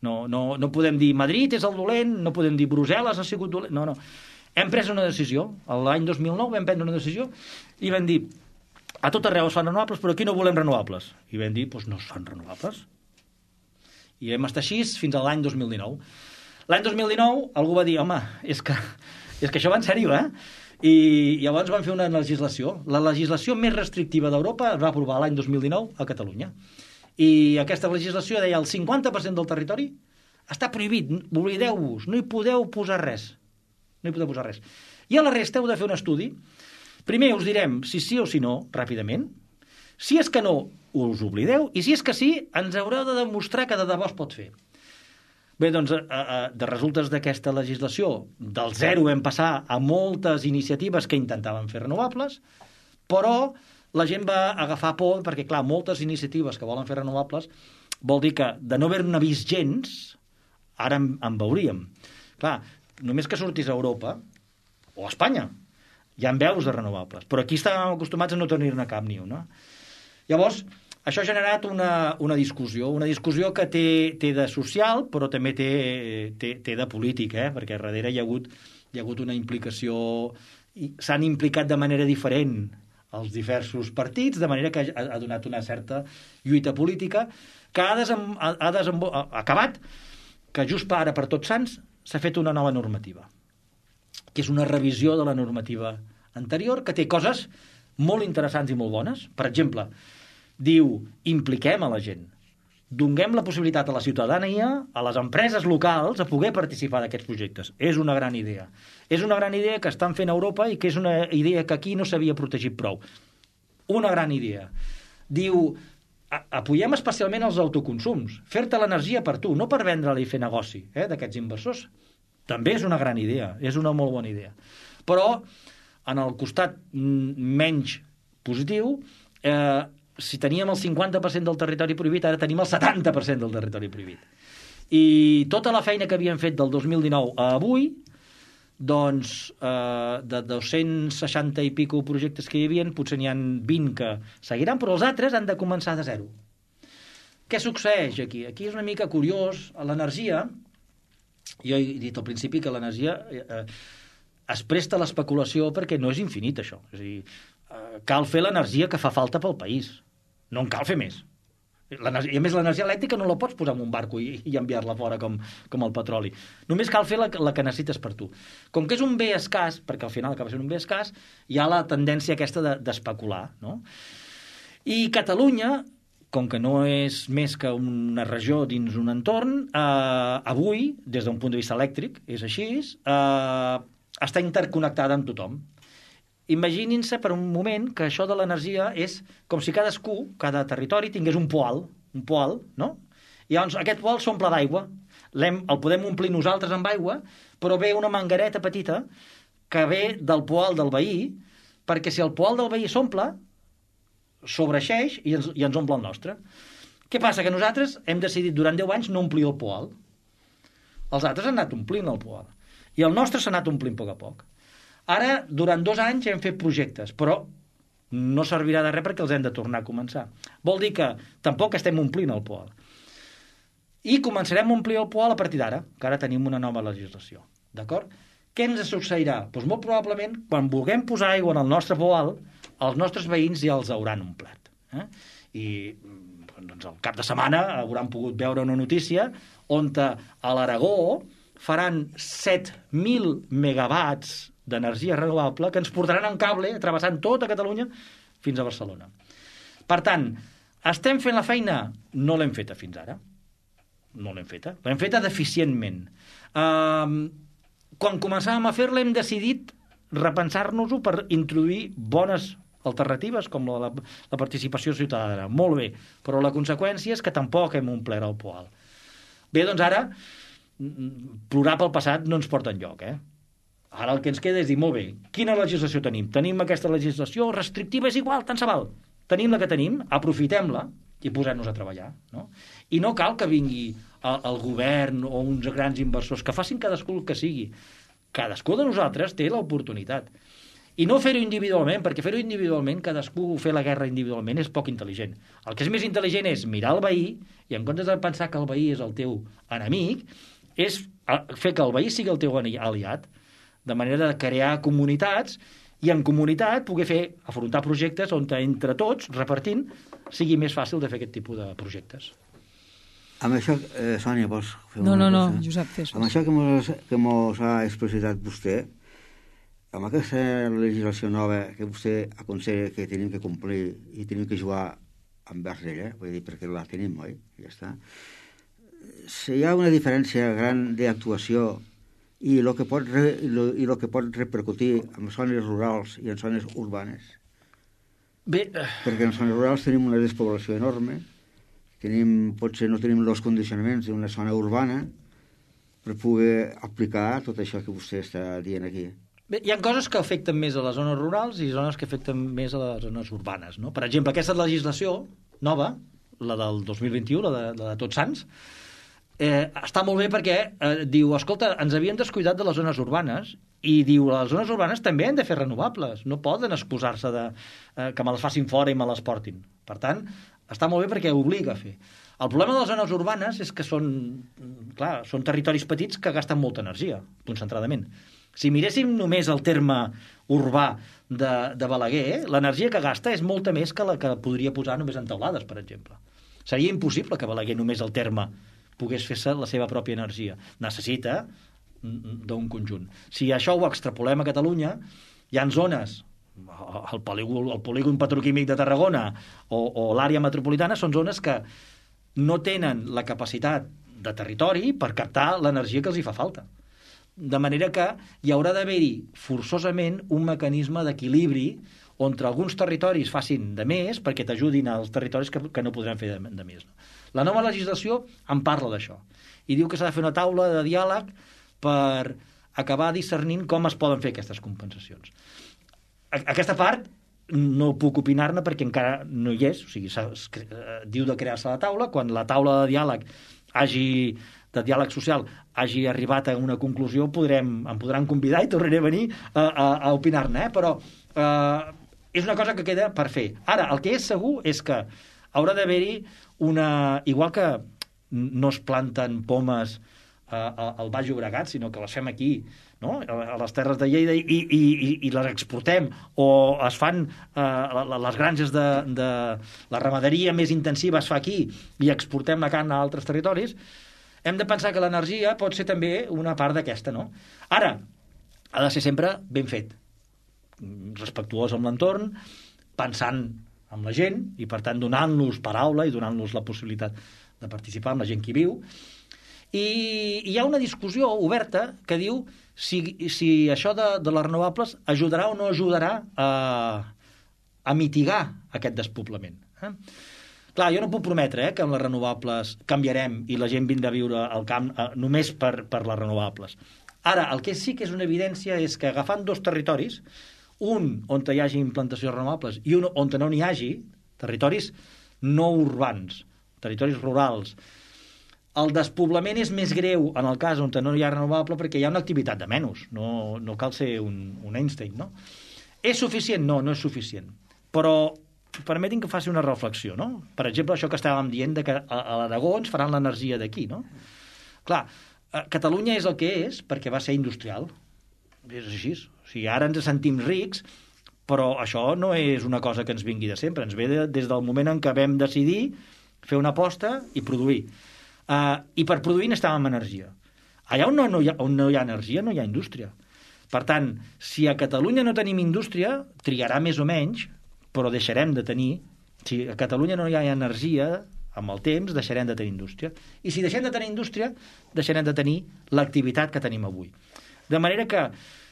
No, no, no podem dir Madrid és el dolent, no podem dir Brussel·les ha sigut dolent. No, no. Hem pres una decisió. L'any dos mil nou vam prendre una decisió i vam dir a tot arreu es fan renovables, però aquí no volem renovables. I vam dir, doncs no es fan renovables. I vam estar així fins a l'any dos mil dinou. L'any dos mil dinou algú va dir, home, és que, és que això va en sèrio, eh? I llavors van fer una legislació. La legislació més restrictiva d'Europa es va aprovar l'any dos mil dinou a Catalunya. I aquesta legislació deia el cinquanta per cent del territori està prohibit, oblideu-vos, no hi podeu posar res. No hi podeu posar res. I a la resta heu de fer un estudi. Primer us direm si sí o si no, ràpidament. Si és que no, us oblideu, i si és que sí, ens haureu de demostrar que de debò es pot fer. Bé, doncs, de resultes d'aquesta legislació, del zero vam passar a moltes iniciatives que intentaven fer renovables, però la gent va agafar por, perquè, clar, moltes iniciatives que volen fer renovables vol dir que de no haver-ne vist gens, ara en, en veuríem. Clar, només que sortís a Europa, o a Espanya, hi ha veus de renovables, però aquí estàvem acostumats a no tenir-ne cap ni una. Llavors, això ha generat una, una discussió, una discussió que té, té de social, però també té, té, té de polític, eh? Perquè darrere hi ha hagut, hi ha hagut una implicació, s'han implicat de manera diferent els diversos partits, de manera que ha, ha donat una certa lluita política que ha, desem, ha, ha, desembo, ha acabat que just ara, per Tots Sants, s'ha fet una nova normativa, que és una revisió de la normativa anterior, que té coses molt interessants i molt bones. Per exemple, diu, impliquem a la gent, donem la possibilitat a la ciutadania, a les empreses locals, a poder participar d'aquests projectes. És una gran idea. És una gran idea que estan fent a Europa i que és una idea que aquí no s'havia protegit prou. Una gran idea. Diu, apoyem especialment els autoconsums, fer-te l'energia per tu, no per vendre-la i fer negoci, eh, d'aquests inversors. També és una gran idea, és una molt bona idea. Però, en el costat menys positiu, eh, si teníem el cinquanta per cent del territori prohibit, ara tenim el setanta per cent del territori prohibit. I tota la feina que havíem fet del dos mil dinou a avui, doncs, eh, de dos-cents seixanta i pico projectes que hi havia, potser n'hi ha vint que seguiran, però els altres han de començar de zero. Què succeeix aquí? Aquí és una mica curiós. L'energia, jo he dit al principi que l'energia eh, es presta a l'especulació perquè no és infinit, això. És a dir, eh, cal fer l'energia que fa falta pel país. No en cal fer més. I a més, l'energia elèctrica no la pots posar en un barco i, i enviar-la fora com, com el petroli. Només cal fer la, la que necessites per tu. Com que és un bé escàs, perquè al final acaba sent un bé escàs, hi ha la tendència aquesta de, d'especular, no? I Catalunya, com que no és més que una regió dins un entorn, eh, avui, des d'un punt de vista elèctric, és així, eh, està interconnectada amb tothom. Imaginin-se per un moment que això de l'energia és com si cadascú, cada territori, tingués un poal, un poal, no? I llavors aquest poal s'omple d'aigua, L'hem, el podem omplir nosaltres amb aigua, però ve una manguereta petita que ve del poal del veí, perquè si el poal del veí s'omple, sobreixeix i ens, i ens omple el nostre. Què passa? Que nosaltres hem decidit durant deu anys no omplir el poal. Els altres han anat omplint el poal. I el nostre s'ha anat omplint a poc a poc. Ara, durant dos anys hem fet projectes, però no servirà de res perquè els hem de tornar a començar. Vol dir que tampoc estem omplint el poal. I començarem a omplir el poal a partir d'ara, que ara tenim una nova legislació. D'acord? Què ens succeirà? Doncs molt probablement, quan vulguem posar aigua en el nostre poal, els nostres veïns ja els hauran omplert. Eh? I doncs, al cap de setmana hauran pogut veure una notícia on a l'Aragó faran set mil megawatts d'energia renovable que ens portaran en cable, travessant tota Catalunya, fins a Barcelona. Per tant, estem fent la feina? No l'hem feta fins ara. No l'hem feta. L'hem feta deficientment. Uh, quan començàvem a fer-la hem decidit repensar-nos-ho per introduir bones alternatives com la, la participació ciutadana. Molt bé, però la conseqüència és que tampoc hem omplert el poal. Bé, doncs ara, plorar pel passat no ens porta enlloc, eh? Ara el que ens queda és dir, molt bé, quina legislació tenim? Tenim aquesta legislació restrictiva, és igual, tant se val. Tenim la que tenim, aprofitem-la i posem-nos a treballar, no? I no cal que vingui el, el govern o uns grans inversors, que facin cadascú el que sigui. Cadascú de nosaltres té l'oportunitat. I no fer-ho individualment, perquè fer-ho individualment, cadascú fer la guerra individualment és poc intel·ligent. El que és més intel·ligent és mirar el veí i en comptes de pensar que el veí és el teu enemic, és fer que el veí sigui el teu aliat, de manera de crear comunitats i en comunitat poder fer, afrontar projectes on entre tots, repartint, sigui més fàcil de fer aquest tipus de projectes. Amb això, eh, Sònia, vols fer no, una no, cosa? No, Josep, fes. Amb això que mos, que mos ha explicitat vostè, amb aquesta legislació nova que vostè aconsella que tenim que complir i tenim que jugar envers ella, vull dir, perquè la tenim, oi? Ja està. Si hi ha una diferència gran d'actuació i el que pot re, i lo, i lo que pot repercutir en zones rurals i en zones urbanes. Bé, perquè en zones rurals tenim una despoblació enorme, tenim, potser no tenim els condicionaments d'una zona urbana per poder aplicar tot això que vostè està dient aquí. Bé, hi ha coses que afecten més a les zones rurals i zones que afecten més a les zones urbanes, no? Per exemple, aquesta legislació nova, la del dos mil vint-i-u, la de, la de Tots Sants, eh, està molt bé perquè eh, diu, escolta, ens havíem descuidat de les zones urbanes i diu, les zones urbanes també han de fer renovables, no poden excusar-se de eh, que me les facin fora i me les portin. Per tant, està molt bé perquè obliga a fer. El problema de les zones urbanes és que són, clar, són territoris petits que gasten molta energia, concentradament. Si miréssim només el terme urbà de, de Balaguer, eh, l'energia que gasta és molta més que la que podria posar només en teulades, per exemple. Seria impossible que Balaguer només el terme pogués fer-se la seva pròpia energia. Necessita d'un conjunt. Si això ho extrapolem a Catalunya, hi ha zones, el polígon, el polígon petroquímic de Tarragona o, o l'àrea metropolitana, són zones que no tenen la capacitat de territori per captar l'energia que els hi fa falta. De manera que hi haurà d'haver-hi forçosament un mecanisme d'equilibri on alguns territoris facin de més perquè t'ajudin als territoris que, que no podran fer de, de més. La nova legislació en parla d'això i diu que s'ha de fer una taula de diàleg per acabar discernint com es poden fer aquestes compensacions. Aquesta part no puc opinar-ne perquè encara no hi és, o sigui, diu de crear-se la taula, quan la taula de diàleg hagi de diàleg social hagi arribat a una conclusió, podrem, em podran convidar i tornaré a venir a, a, a opinar-ne, eh? Però eh, és una cosa que queda per fer. Ara, el que és segur és que haurà d'haver-hi una... Igual que no es planten pomes a, a, al Baix Llobregat, sinó que les fem aquí, no? A les terres de Lleida i, i, i, i les exportem, o es fan eh, les granges de, de la ramaderia més intensiva es fa aquí i exportem la carn a altres territoris, hem de pensar que l'energia pot ser també una part d'aquesta, no? Ara, ha de ser sempre ben fet, respectuós amb l'entorn, pensant amb la gent i, per tant, donant-los paraula i donant-los la possibilitat de participar amb la gent que hi viu. I hi ha una discussió oberta que diu si, si això de, de les renovables ajudarà o no ajudarà a, a mitigar aquest despoblament. Eh? Clar, jo no puc prometre eh, que amb les renovables canviarem i la gent vindrà a viure al camp eh, només per, per les renovables. Ara, el que sí que és una evidència és que agafant dos territoris, un on hi hagi implantacions renovables i un on no n'hi hagi, territoris no urbans, territoris rurals, el despoblament és més greu en el cas on no hi ha renovable perquè hi ha una activitat de menys, no, no cal ser un, un Einstein, no? És suficient? No, no és suficient. Però permetin que faci una reflexió, no? Per exemple, això que estàvem dient de que a, a l'Aragó ens faran l'energia d'aquí, no? Clar, Catalunya és el que és perquè va ser industrial. És així. O sigui, ara ens sentim rics, però això no és una cosa que ens vingui de sempre. Ens ve de, des del moment en què vam decidir fer una aposta i produir. Uh, I per produir necessitàvem energia. allà on no, no, hi ha, on no hi ha energia no hi ha indústria. Per tant, si a Catalunya no tenim indústria, triarà més o menys, però deixarem de tenir. Si a Catalunya no hi ha energia, amb el temps deixarem de tenir indústria. I si deixem de tenir indústria, deixarem de tenir l'activitat que tenim avui. De manera que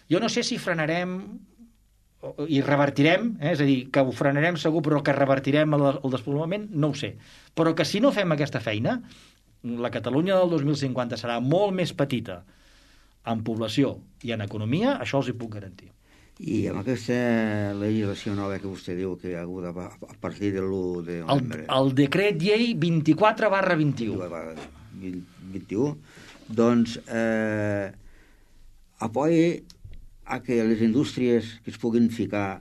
jo no sé si frenarem i revertirem, eh? És a dir, que ho frenarem segur, però que revertirem el, el despoblament, no ho sé. Però que si no fem aquesta feina, la Catalunya del dos mil cinquanta serà molt més petita en població i en economia, això els hi puc garantir. I amb aquesta legislació nova que vostè diu que hi ha hagut a, a partir de l'u de novembre... El, el decret llei vint-i-quatre barra vint-i-u. vint-i-u, doncs eh, apoya a que les indústries que es puguin ficar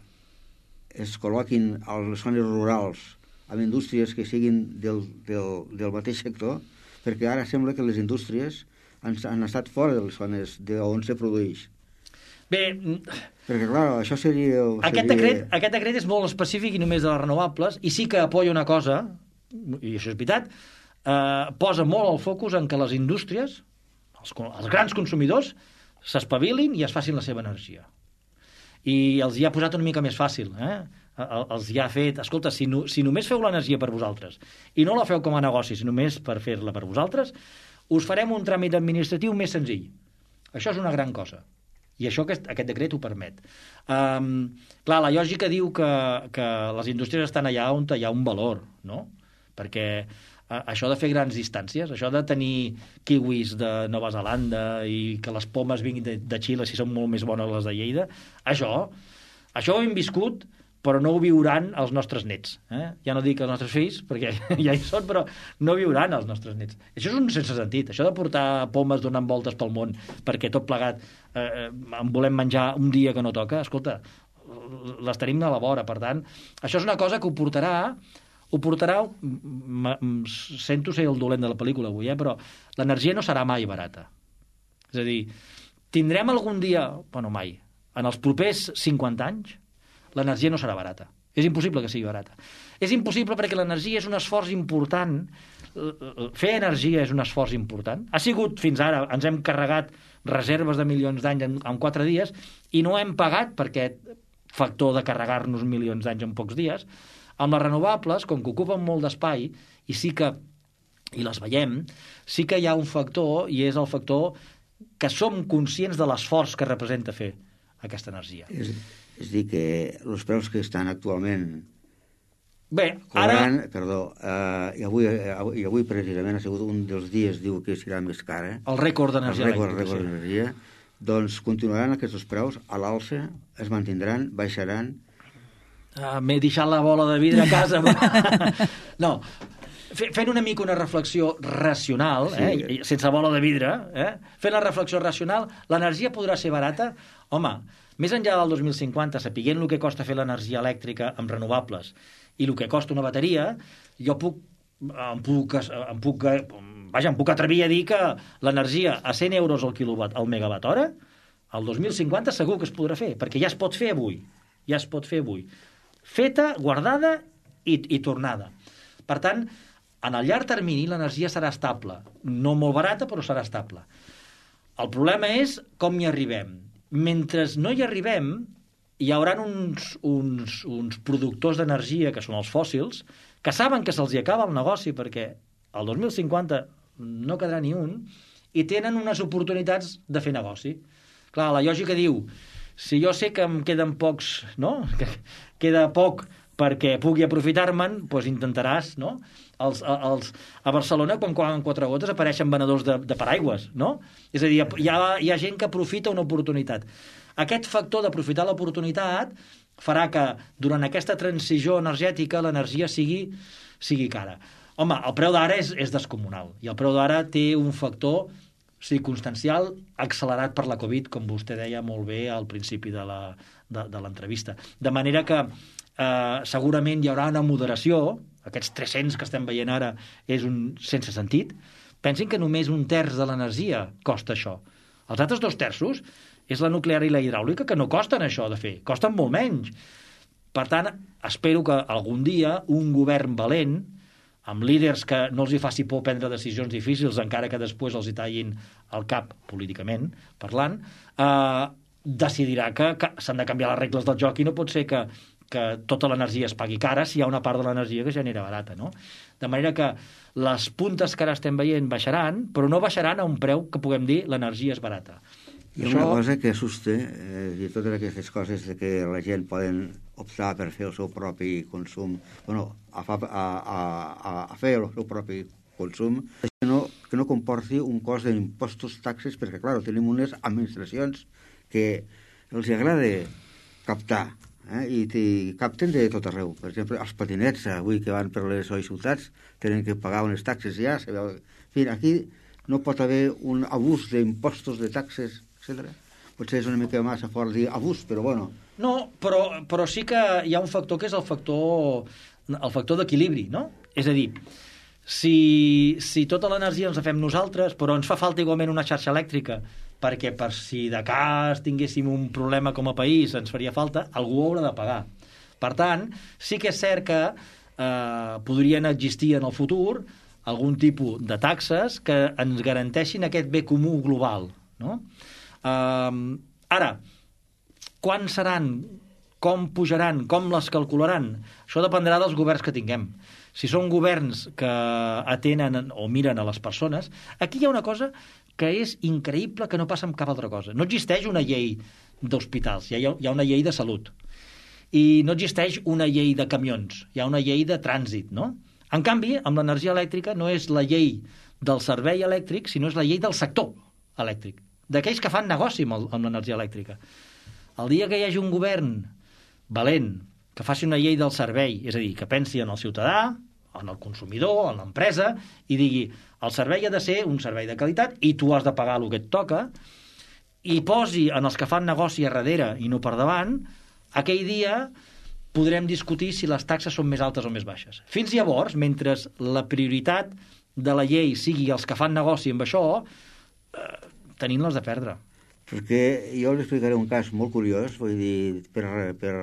es col·loquin a les zones rurals amb indústries que siguin del, del, del mateix sector, perquè ara sembla que les indústries han, han estat fora de les zones de on se produeix. Bé, perquè, clar, això seria... seria... Aquest, decret, aquest decret és molt específic i només de les renovables, i sí que apoya una cosa, i això és veritat, eh, posa molt el focus en que les indústries, els, els grans consumidors, s'espavilin i es facin la seva energia. I els hi ha posat una mica més fàcil, eh? Els hi ha fet, escolta, si, no, si només feu l'energia per vosaltres i no la feu com a negoci, si només per fer-la per vosaltres, us farem un tràmit administratiu més senzill. Això és una gran cosa. I això aquest, aquest decret ho permet. Um, clar, la lògica diu que, que les indústries estan allà on hi ha un valor, no? Perquè això de fer grans distàncies, això de tenir kiwis de Nova Zelanda i que les pomes vinguin de, de Xile si són molt més bones les de Lleida, això, això ho hem viscut, però no ho viuran els nostres nets. Eh? Ja no dic els nostres fills, perquè ja hi són, però no viuran els nostres nets. Això és un sense sentit, això de portar pomes donant voltes pel món perquè tot plegat eh, en volem menjar un dia que no toca, escolta, les tenim a la vora. Per tant, això és una cosa que ho portarà ho portarà, sento ser el dolent de la pel·lícula avui, eh, però l'energia no serà mai barata. És a dir, tindrem algun dia, bueno, mai, en els propers cinquanta anys, l'energia no serà barata. És impossible que sigui barata. És impossible perquè l'energia és un esforç important, fer energia és un esforç important. Ha sigut, fins ara, ens hem carregat reserves de milions d'anys en, en quatre dies i no hem pagat per aquest factor de carregar-nos milions d'anys en pocs dies. Amb les renovables, com que ocupen molt d'espai, i sí que, i les veiem, sí que hi ha un factor, i és el factor que som conscients de l'esforç que representa fer aquesta energia. És, és dir, que els preus que estan actualment Bé, cobrant, ara... perdó, eh, i, avui, eh, i avui precisament ha sigut un dels dies, diu que serà més cara. El rècord d'energia elèctrica. El rècord d'energia. Doncs continuaran aquests preus a l'alça, es mantindran, baixaran. Uh, m'he deixat la bola de vidre a casa. No, fent una mica una reflexió racional, sí. eh, sense bola de vidre, eh, fent la reflexió racional, l'energia podrà ser barata? Home, més enllà del dos mil cinquanta, sapiguent el que costa fer l'energia elèctrica amb renovables i el que costa una bateria, jo puc, em puc, em puc, vaja, em puc atrevir a dir que l'energia a cent euros al quilowatt, al megawatt hora, el dos mil cinquanta segur que es podrà fer, perquè ja es pot fer avui. Ja es pot fer avui. Feta, guardada i, i tornada. Per tant, en el llarg termini l'energia serà estable. No molt barata, però serà estable. El problema és com hi arribem. Mentre no hi arribem, hi haurà uns, uns, uns productors d'energia, que són els fòssils, que saben que se'ls acaba el negoci, perquè el dos mil cinquanta no quedarà ni un, i tenen unes oportunitats de fer negoci. Clar, la lògica diu, si jo sé que em queden pocs, no? Que queda poc perquè pugui aprofitar-me'n, doncs intentaràs, no? Els, els, a Barcelona, quan quan quatre gotes, apareixen venedors de, de paraigües, no? És a dir, hi ha, hi ha gent que aprofita una oportunitat. Aquest factor d'aprofitar l'oportunitat farà que durant aquesta transició energètica l'energia sigui, sigui cara. Home, el preu d'ara és, és descomunal, i el preu d'ara té un factor circumstancial accelerat per la Covid, com vostè deia molt bé al principi de la, de, de l'entrevista. De manera que eh, segurament hi haurà una moderació, aquests tres-cents que estem veient ara és un sense sentit. Pensin que només un terç de l'energia costa això. Els altres dos terços és la nuclear i la hidràulica, que no costen això de fer, costen molt menys. Per tant, espero que algun dia un govern valent amb líders que no els hi faci por prendre decisions difícils, encara que després els hi tallin el cap políticament parlant, eh, decidirà que, que s'han de canviar les regles del joc i no pot ser que, que tota l'energia es pagui cara si hi ha una part de l'energia que genera barata, no? De manera que les puntes que ara estem veient baixaran, però no baixaran a un preu que puguem dir l'energia és barata. Hi ha una cosa que assusta, eh, i totes aquestes coses de que la gent poden optar per fer el seu propi consum, bueno, a, fa, a, a, a fer el seu propi consum, que no, que no comporti un cost d'impostos, taxes, perquè, clar, tenim unes administracions que els agrada captar, eh, i, i capten de tot arreu. Per exemple, els patinets, avui que van per les ciutats, tenen que pagar unes taxes ja, sabeu? En fi, aquí no pot haver un abús d'impostos, de taxes, etcètera. Potser és una mica massa fort dir abús, però bueno. No, però, però sí que hi ha un factor que és el factor, el factor d'equilibri, no? És a dir, si, si tota l'energia ens la fem nosaltres, però ens fa falta igualment una xarxa elèctrica, perquè per si de cas tinguéssim un problema com a país ens faria falta, algú ho haurà de pagar. Per tant, sí que és cert que eh, podrien existir en el futur algun tipus de taxes que ens garanteixin aquest bé comú global, no? Uh, ara, quan seran, com pujaran, com les calcularan? Això dependrà dels governs que tinguem. Si són governs que atenen o miren a les persones, aquí hi ha una cosa que és increïble que no passa amb cap altra cosa. No existeix una llei d'hospitals, hi ha, hi ha una llei de salut. I no existeix una llei de camions, hi ha una llei de trànsit, no? En canvi, amb l'energia elèctrica no és la llei del servei elèctric, sinó és la llei del sector elèctric, d'aquells que fan negoci amb, el, amb l'energia elèctrica. El dia que hi hagi un govern valent que faci una llei del servei, és a dir, que pensi en el ciutadà, en el consumidor, en l'empresa, i digui, el servei ha de ser un servei de qualitat i tu has de pagar el que et toca, i posi en els que fan negoci a darrere i no per davant, aquell dia podrem discutir si les taxes són més altes o més baixes. Fins llavors, mentre la prioritat de la llei sigui els que fan negoci amb això, eh, tenint-les de perdre. Perquè jo us explicaré un cas molt curiós, vull dir, per, per,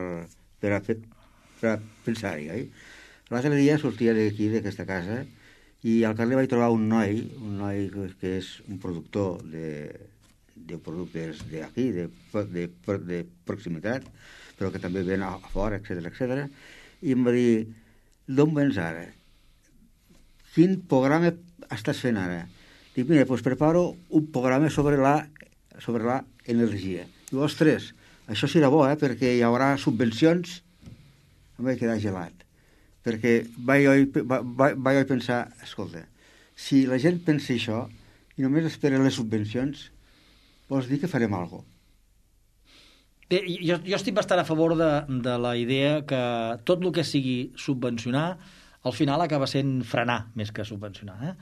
per, a, per a pensar-hi. Eh? L'altre dia sortia d'aquí, d'aquesta casa, i al carrer vaig trobar un noi, un noi que és un productor de, de productes d'aquí, de, de, de, de proximitat, però que també ven a fora, etcètera, etcètera, i em va dir, d'on vens ara? Quin programa estàs fent ara? Dic, mira, doncs preparo un programa sobre la, sobre la energia. Diu, ostres, això serà bo, eh, perquè hi haurà subvencions. Em vaig quedar gelat. Perquè vaig, vaig, vaig pensar, escolta, si la gent pensa això i només espera les subvencions, vols dir que farem alguna cosa. Bé, jo, jo estic bastant a favor de, de la idea que tot el que sigui subvencionar, al final acaba sent frenar més que subvencionar, eh?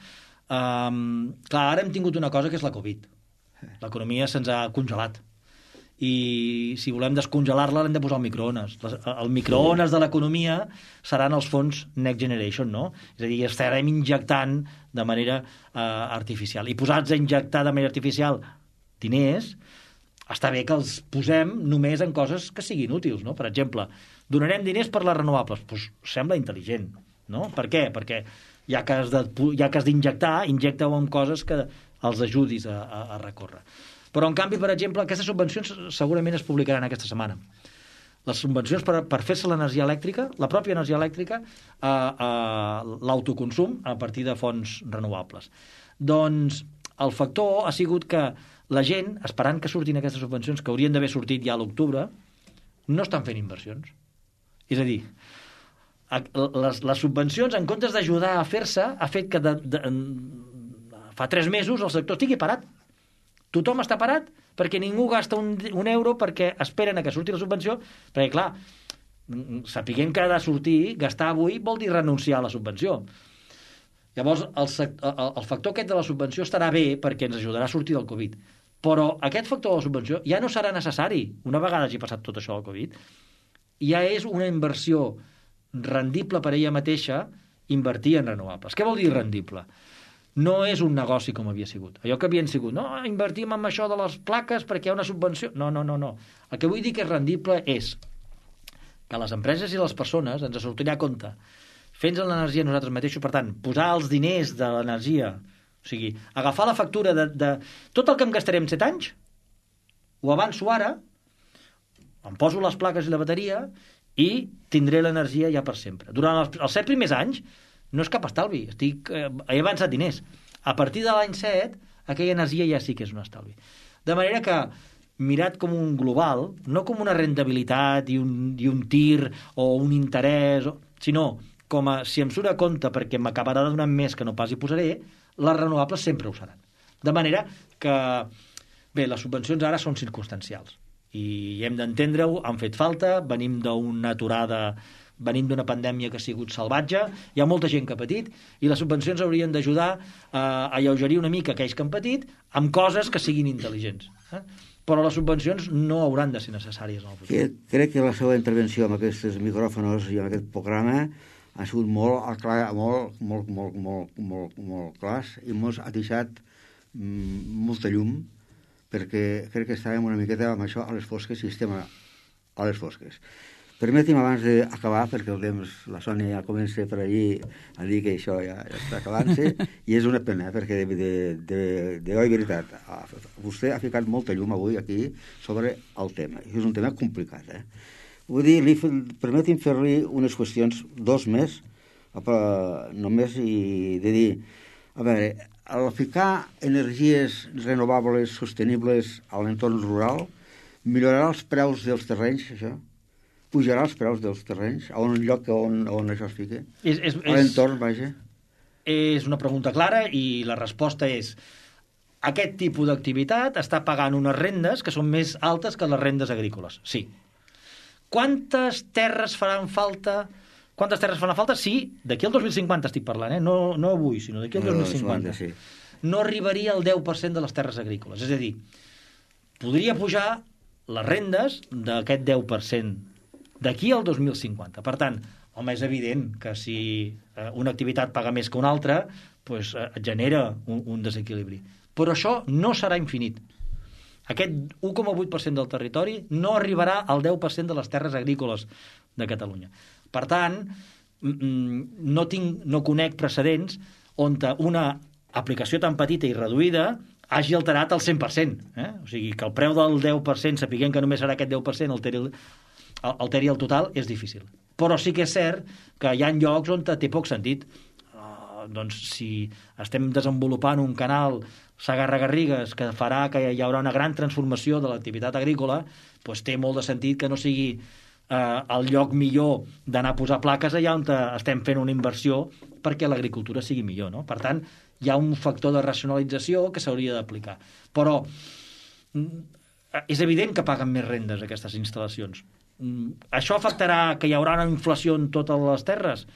Um, clar, ara hem tingut una cosa que és la Covid. L'economia se'ns ha congelat i si volem descongelar-la l'hem de posar al microones. El microones de l'economia seran els fons Next Generation, no? És a dir, estarem injectant de manera uh, artificial. I posats a injectar de manera artificial diners, està bé que els posem només en coses que siguin útils, no? Per exemple, donarem diners per les renovables. Doncs sembla intel·ligent, no? Per què? Perquè ja que has de, ja que has d'injectar, injecta-ho en coses que els ajudis a, a, a recórrer. Però, en canvi, per exemple, aquestes subvencions segurament es publicaran aquesta setmana. Les subvencions per, per fer-se l'energia elèctrica, la pròpia energia elèctrica, a, a l'autoconsum a partir de fonts renovables. Doncs el factor ha sigut que la gent, esperant que surtin aquestes subvencions, que haurien d'haver sortit ja a l'octubre, no estan fent inversions. És a dir, les, les subvencions, en comptes d'ajudar a fer-se, ha fet que de, de, fa tres mesos el sector estigui parat. Tothom està parat perquè ningú gasta un, un euro perquè esperen a que surti la subvenció, perquè, clar, sapiguem que ha de sortir, gastar avui vol dir renunciar a la subvenció. Llavors, el, el, el factor aquest de la subvenció estarà bé perquè ens ajudarà a sortir del Covid. Però aquest factor de la subvenció ja no serà necessari. Una vegada hagi passat tot això del Covid, ja és una inversió rendible per ella mateixa invertir en renovables. Què vol dir rendible? No és un negoci com havia sigut. Allò que havien sigut, no, invertim en això de les plaques perquè hi ha una subvenció. No, no, no, no. El que vull dir que és rendible és que les empreses i les persones ens sortirà a compte fent l'energia nosaltres mateixos, per tant, posar els diners de l'energia, o sigui, agafar la factura de, de tot el que em gastarem set anys, ho avanço ara, em poso les plaques i la bateria i tindré l'energia ja per sempre. Durant els, els set primers anys no és cap estalvi, estic, eh, he avançat diners. A partir de l'any set, aquella energia ja sí que és un estalvi. De manera que, mirat com un global, no com una rentabilitat i un, i un tir o un interès, sinó com a, si em surt a compte perquè m'acabarà donant més que no pas hi posaré, les renovables sempre ho seran. De manera que, bé, les subvencions ara són circumstancials i hem d'entendre-ho, han fet falta, venim d'una aturada, venim d'una pandèmia que ha sigut salvatge, hi ha molta gent que ha patit i les subvencions haurien d'ajudar a alleugerir una mica aquells que han patit amb coses que siguin intel·ligents. Eh? Però les subvencions no hauran de ser necessàries en el futur. Crec que la seva intervenció amb aquests micròfons i amb aquest programa ha sigut molt, clar, molt, molt, molt, molt, molt, molt clars i mos ha deixat mm, molta llum, perquè crec que estàvem una miqueta amb això a les fosques i estem a, a les fosques. Permeti'm abans d'acabar, perquè el temps, la Sònia ja comença per allí a dir que això ja, ja està acabant-se, i és una pena, perquè de, de, de, de oi veritat, vostè ha ficat molta llum avui aquí sobre el tema, i és un tema complicat, eh? Vull dir, li, permeti'm fer-li unes qüestions, dos més, només, i de dir, a veure, al ficar energies renovables, sostenibles a l'entorn rural, millorarà els preus dels terrenys, això? Pujarà els preus dels terrenys a un lloc on, on això es fiqui? És, és, a l'entorn, vaja. És una pregunta clara i la resposta és aquest tipus d'activitat està pagant unes rendes que són més altes que les rendes agrícoles. Sí. Quantes terres faran falta? Quantes terres faran falta? Sí, d'aquí al dos mil cinquanta estic parlant, eh? no, no avui, sinó d'aquí al dos mil cinquanta. Sí. No arribaria al deu per cent de les terres agrícoles. És a dir, podria pujar les rendes d'aquest deu per cent d'aquí al dos mil cinquanta. Per tant, home, és evident que si eh, una activitat paga més que una altra, doncs, eh, genera un, un desequilibri. Però això no serà infinit. Aquest u coma vuit per cent del territori no arribarà al deu per cent de les terres agrícoles de Catalunya. Per tant, no, tinc, no conec precedents on una aplicació tan petita i reduïda hagi alterat el cent per cent. Eh? O sigui, que el preu del deu per cent, sapiguem que només serà aquest deu per cent, alteri el, alteri el total, és difícil. Però sí que és cert que hi ha llocs on té poc sentit. Uh, doncs si estem desenvolupant un canal Segarra-Garrigues que farà que hi haurà una gran transformació de l'activitat agrícola, doncs té molt de sentit que no sigui eh, el lloc millor d'anar a posar plaques allà on estem fent una inversió perquè l'agricultura sigui millor, no? Per tant, hi ha un factor de racionalització que s'hauria d'aplicar. Però és evident que paguen més rendes aquestes instal·lacions. Això afectarà que hi haurà una inflació en totes les terres?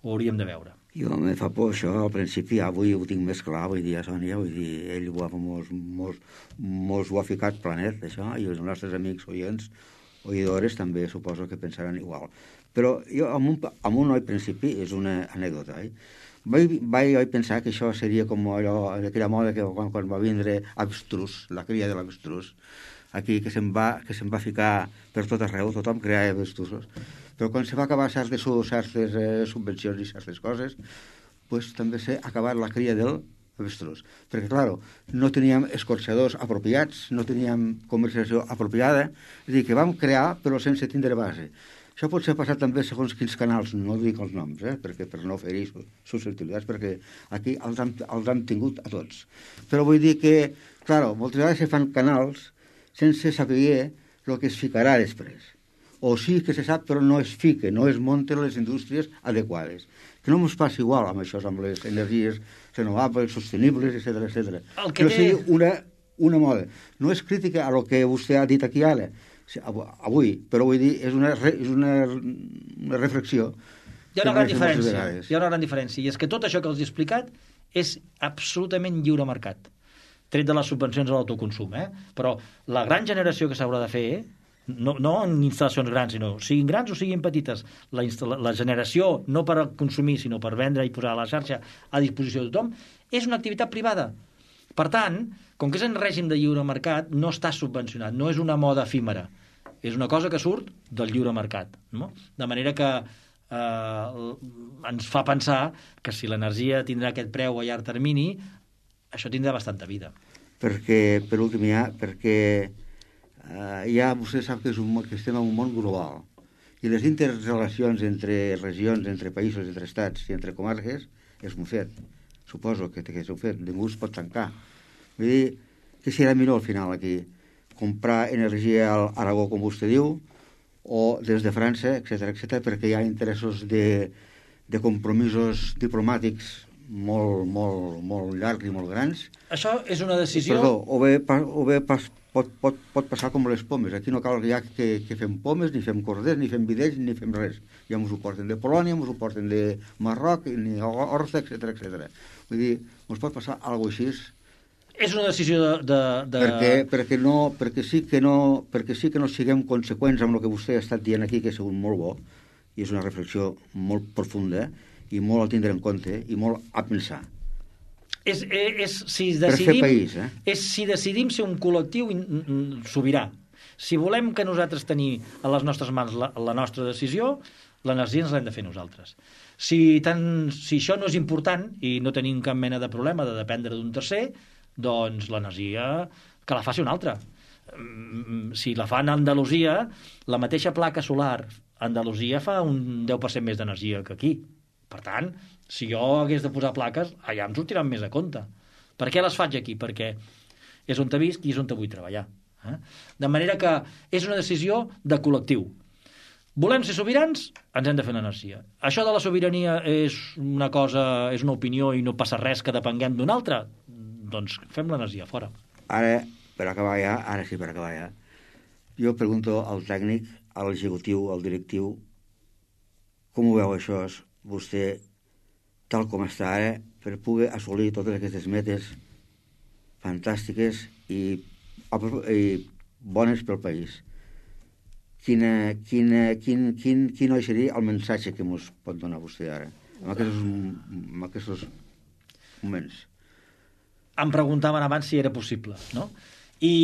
Ho hauríem de veure. Jo me fa por això, al principi, avui ho tinc més clar, vull dir, a Sònia, vull dir, ell ho ha, mos, mos, mos ho ha ficat planet, això, i els nostres amics oients, oïdores, també suposo que pensaran igual. Però jo, amb un, amb un oi principi, és una anècdota, eh? Vaig, vaig pensar que això seria com allò, aquella moda que quan, quan va vindre abstrus, la cria de l'abstrus, aquí, que se'n va, que se'n va ficar per tot arreu, tothom creava abstrusos. Però quan se va acabar certes, certes eh, subvencions i certes coses, pues, també s'ha acabat la cria del avestruz. Perquè, clar, no teníem escorxadors apropiats, no teníem comercialització apropiada, és a dir, que vam crear però sense tindre base. Això pot ser passat també segons quins canals, no dic els noms, eh, perquè per no fer-hi susceptibilitats, perquè aquí els hem, els hem tingut a tots. Però vull dir que, clar, moltes vegades se fan canals sense saber el que es ficarà després. O sí que se sap, però no es fica, no es munten les indústries adequades. Que no ens passi igual amb això, amb les energies renovables, sostenibles, etcètera, etcètera. Que no sigui una, una moda. No és crítica a lo que vostè ha dit aquí ara, avui, però vull dir, és una, és una, una reflexió. Hi ha una gran diferència, hi ha una gran diferència, i és que tot això que els he explicat és absolutament lliure mercat, tret de les subvencions a l'autoconsum, eh? Però la gran generació que s'haurà de fer, no, no en instal·lacions grans, sinó siguin grans o siguin petites, la, la generació no per consumir, sinó per vendre i posar a la xarxa a disposició de tothom, és una activitat privada. Per tant, com que és en règim de lliure mercat, no està subvencionat, no és una moda efímera, és una cosa que surt del lliure mercat, no? De manera que eh, ens fa pensar que si l'energia tindrà aquest preu a llarg termini, això tindrà bastanta vida. Perquè, per últim, ja, perquè eh, ja vostè sap que, és un, que estem en un món global i les interrelacions entre regions, entre països, entre estats i entre comarques és un fet. Suposo que, que és un fet. Ningú es pot tancar. Vull dir, que serà millor al final aquí? Comprar energia a Aragó, com vostè diu, o des de França, etcètera, etcètera, perquè hi ha interessos de, de compromisos diplomàtics molt, molt, molt llargs i molt grans. Això és una decisió... Perdó, o bé, o bé pas, pot, pot, pot passar com les pomes. Aquí no cal ja que, que fem pomes, ni fem corders, ni fem vidells, ni fem res. Ja ens ho porten de Polònia, ens ho porten de Marroc, ni Horta, etcètera, etcètera. Vull dir, ens pot passar alguna cosa així. És una decisió de... de, de... Perquè, perquè, no, perquè, sí que no, perquè sí que no siguem conseqüents amb el que vostè ha estat dient aquí, que ha sigut molt bo, i és una reflexió molt profunda, i molt a tindre en compte, i molt a pensar. És, és, si decidim, per fer país, eh? És si decidim ser un col·lectiu sobirà. Si volem que nosaltres tenir a les nostres mans la, la nostra decisió, l'energia ens l'hem de fer nosaltres. Si, tant, si això no és important i no tenim cap mena de problema de dependre d'un tercer, doncs l'energia que la faci un altre. Si la fa a Andalusia, la mateixa placa solar a Andalusia fa un deu per cent més d'energia que aquí. Per tant, si jo hagués de posar plaques, allà em sortiran més a compte. Per què les faig aquí? Perquè és on te visc i és on te vull treballar. Eh? De manera que és una decisió de col·lectiu. Volem ser sobirans? Ens hem de fer l'energia. Això de la sobirania és una cosa, és una opinió i no passa res que depenguem d'un altre? Doncs fem l'energia fora. Ara, per acabar ja, ara sí, per acabar ja, jo pregunto al tècnic, a l'executiu, al directiu, com ho veu això, vostè, tal com està ara, per poder assolir totes aquestes metes fantàstiques i, i bones pel país. Quina, quina, quin, quin, quin seria el missatge que ens pot donar vostè ara, en aquests, en aquests moments? Em preguntaven abans si era possible, no? I,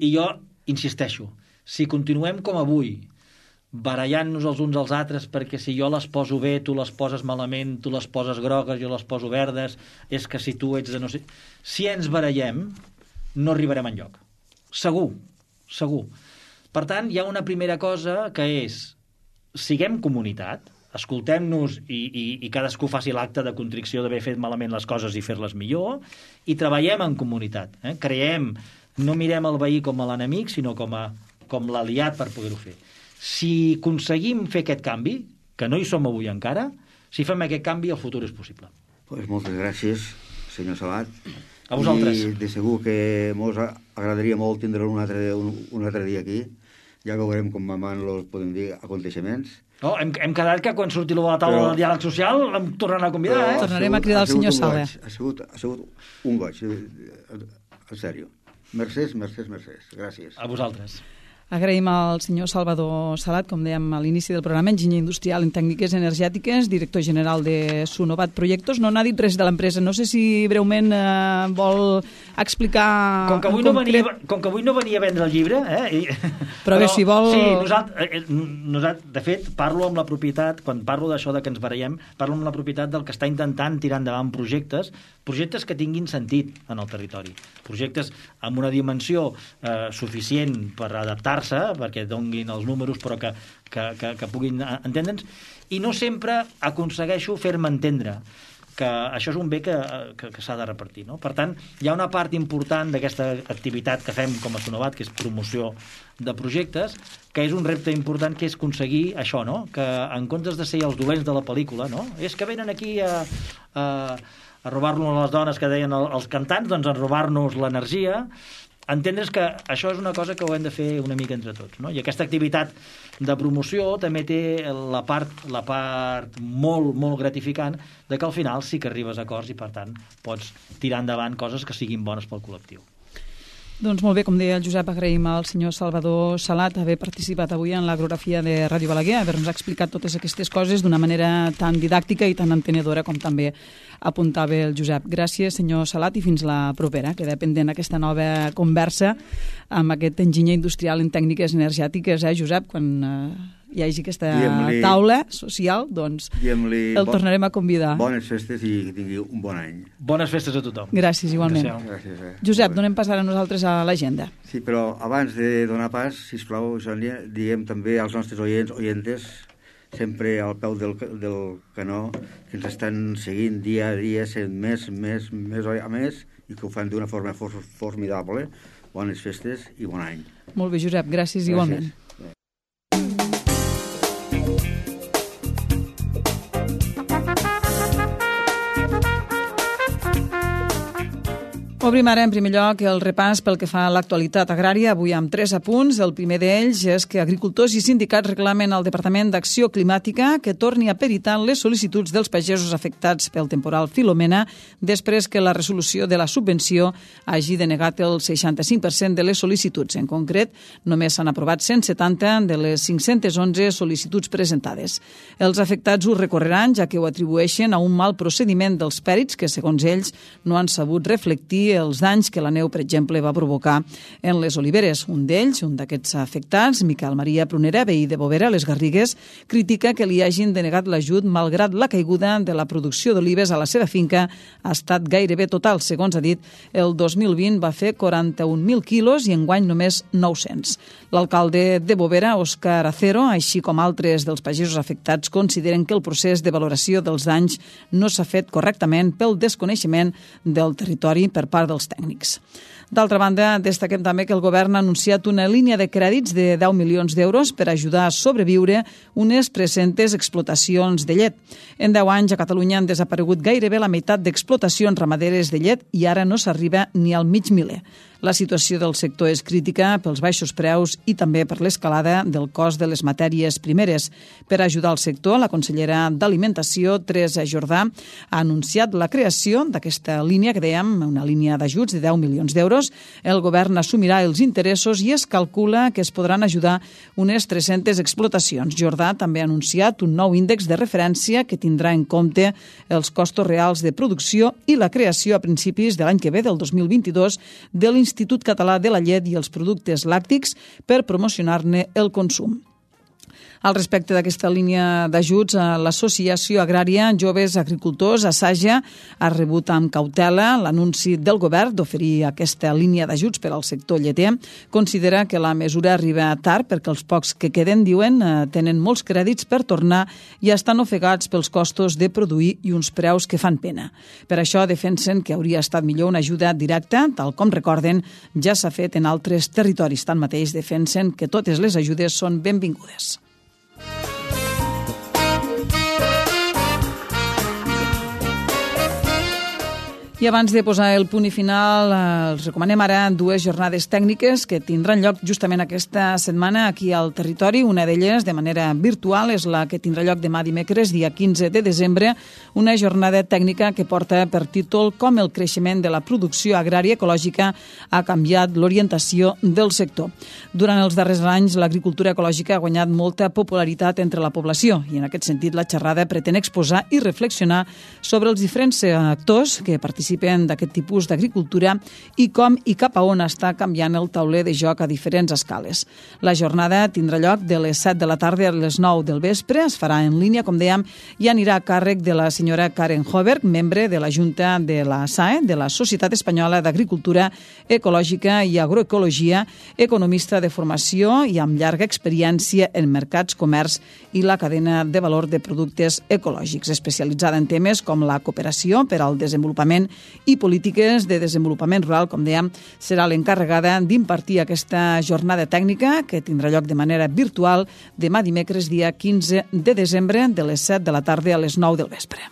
i jo insisteixo, si continuem com avui, barallant-nos els uns als altres perquè si jo les poso bé, tu les poses malament, tu les poses grogues, jo les poso verdes, és que si tu ets de no sé... Si ens barallem, no arribarem enlloc. Segur, segur. Per tant, hi ha una primera cosa que és, siguem comunitat, escoltem-nos i, i, i cadascú faci l'acte de contrició d'haver fet malament les coses i fer-les millor, i treballem en comunitat. Eh? Creiem, no mirem el veí com a l'enemic, sinó com, a, com l'aliat per poder-ho fer. Si aconseguim fer aquest canvi, que no hi som avui encara, si fem aquest canvi, el futur és possible. Pues moltes gràcies, senyor Salat. A vosaltres. I de segur que ens agradaria molt tindre un altre, un, un altre dia aquí. Ja veurem com van els, podem dir, aconteixements. Oh, hem, hem quedat que quan surti la taula Però... del diàleg social em tornaran a convidar, eh? Tornarem a cridar el senyor Sala. Ha sigut, ha sigut un goig, en sèrio. Mercès, mercès, mercès. Gràcies. A vosaltres. Agraïm al senyor Salvador Salat, com dèiem a l'inici del programa, enginyer industrial en tècniques energètiques, director general de Sunovat Projectos. No n'ha dit res de l'empresa. No sé si breument eh, vol explicar... Com que, avui no venia, com que avui no venia a vendre el llibre... Eh? I... Però, Però bé, si vol... Sí, nosaltres, nosaltres, de fet, parlo amb la propietat, quan parlo d'això de que ens barallem, parlo amb la propietat del que està intentant tirar endavant projectes, projectes que tinguin sentit en el territori. Projectes amb una dimensió eh, suficient per adaptar perquè donguin els números però que, que, que, que puguin entendre'ns, i no sempre aconsegueixo fer-me entendre que això és un bé que, que, que s'ha de repartir, no? Per tant, hi ha una part important d'aquesta activitat que fem com a Sunovat, que és promoció de projectes, que és un repte important, que és aconseguir això, no? Que en comptes de ser els dolents de la pel·lícula, no? És que venen aquí a, a, a robar-nos les dones que deien els cantants, doncs a robar-nos l'energia. Entendre's que això és una cosa que ho hem de fer una mica entre tots, no? I aquesta activitat de promoció també té la part, la part molt, molt gratificant de que al final sí que arribes a acords i, per tant, pots tirar endavant coses que siguin bones pel col·lectiu. Doncs molt bé, com deia el Josep, agraïm al senyor Salvador Salat haver participat avui en l'agrografia de Ràdio Balaguer, haver-nos explicat totes aquestes coses d'una manera tan didàctica i tan entenedora com també apuntava el Josep. Gràcies, senyor Salat, i fins la propera. Queda pendent aquesta nova conversa amb aquest enginyer industrial en tècniques energètiques, eh, Josep, quan eh, hi hagi aquesta taula social, doncs el tornarem a convidar. Bones festes i que tingui un bon any. Bones festes a tothom. Gràcies, igualment. Gràcies, eh. Josep, donem pas ara nosaltres a l'agenda. Sí, però abans de donar pas, sisplau, Sònia, diguem també als nostres oients, oientes, sempre al peu del, del canó, que ens estan seguint dia a dia, sent més, més, més a més, i que ho fan d'una forma for formidable. Bones festes i bon any. Molt bé, Josep, gràcies, gràcies. Igualment. Obrim ara, en primer lloc, el repàs pel que fa a l'actualitat agrària, avui amb tres apunts. El primer d'ells és que agricultors i sindicats reclamen al Departament d'Acció Climàtica que torni a peritar les sol·licituds dels pagesos afectats pel temporal Filomena després que la resolució de la subvenció hagi denegat el seixanta-cinc per cent de les sol·licituds. En concret, només s'han aprovat cent setanta de les cinc-cents onze sol·licituds presentades. Els afectats ho recorreran, ja que ho atribueixen a un mal procediment dels pèrits que, segons ells, no han sabut reflectir els danys que la neu, per exemple, va provocar en les oliveres. Un d'ells, un d'aquests afectats, Miquel Maria Prunera, veí de Bovera, a les Garrigues, critica que li hagin denegat l'ajut malgrat la caiguda de la producció d'olives a la seva finca ha estat gairebé total. Segons ha dit, el dos mil vint va fer quaranta-un mil quilos i enguany només nou-cents. L'alcalde de Bovera, Òscar Acero, així com altres dels pagesos afectats, consideren que el procés de valoració dels danys no s'ha fet correctament pel desconeixement del territori per part dels tècnics. D'altra banda, destaquem també que el govern ha anunciat una línia de crèdits de deu milions d'euros per ajudar a sobreviure unes tres-centes explotacions de llet. En deu anys a Catalunya han desaparegut gairebé la meitat d'explotacions ramaderes de llet i ara no s'arriba ni al mig miler. La situació del sector és crítica pels baixos preus i també per l'escalada del cost de les matèries primeres. Per ajudar el sector, la consellera d'Alimentació, Teresa Jordà, ha anunciat la creació d'aquesta línia, que dèiem, una línia d'ajuts de deu milions d'euros. El govern assumirà els interessos i es calcula que es podran ajudar unes tres-centes explotacions. Jordà també ha anunciat un nou índex de referència que tindrà en compte els costos reals de producció i la creació a principis de l'any que ve, del dos mil vint-i-dos, de l'Institut Institut Català de la Llet i els productes làctics per promocionar-ne el consum. Al respecte d'aquesta línia d'ajuts, l'Associació Agrària Joves Agricultors, Assaja, ha rebut amb cautela l'anunci del govern d'oferir aquesta línia d'ajuts per al sector lleter. Considera que la mesura arriba tard perquè els pocs que queden, diuen, tenen molts crèdits per tornar i estan ofegats pels costos de produir i uns preus que fan pena. Per això defensen que hauria estat millor una ajuda directa, tal com recorden, ja s'ha fet en altres territoris. Tanmateix defensen que totes les ajudes són benvingudes. I abans de posar el punt i final, els recomanem ara dues jornades tècniques que tindran lloc justament aquesta setmana aquí al territori. Una d'elles, de manera virtual, és la que tindrà lloc demà dimecres, dia quinze de desembre, una jornada tècnica que porta per títol Com el creixement de la producció agrària ecològica ha canviat l'orientació del sector. Durant els darrers anys, l'agricultura ecològica ha guanyat molta popularitat entre la població i en aquest sentit la xerrada pretén exposar i reflexionar sobre els diferents actors que participen d'aquest tipus d'agricultura i com i cap a on està canviant el tauler de joc a diferents escales. La jornada tindrà lloc de les set de la tarda a les nou del vespre, es farà en línia, com dèiem, i anirà a càrrec de la senyora Karen Hoberg, membre de la Junta de la S A E, de la Societat Espanyola d'Agricultura Ecològica i Agroecologia, economista de formació i amb llarga experiència en mercats, comerç i la cadena de valor de productes ecològics, especialitzada en temes com la cooperació per al desenvolupament i polítiques de desenvolupament rural, com dèiem, serà l'encarregada d'impartir aquesta jornada tècnica que tindrà lloc de manera virtual demà dimecres, dia quinze de desembre, de les set de la tarda a les nou del vespre.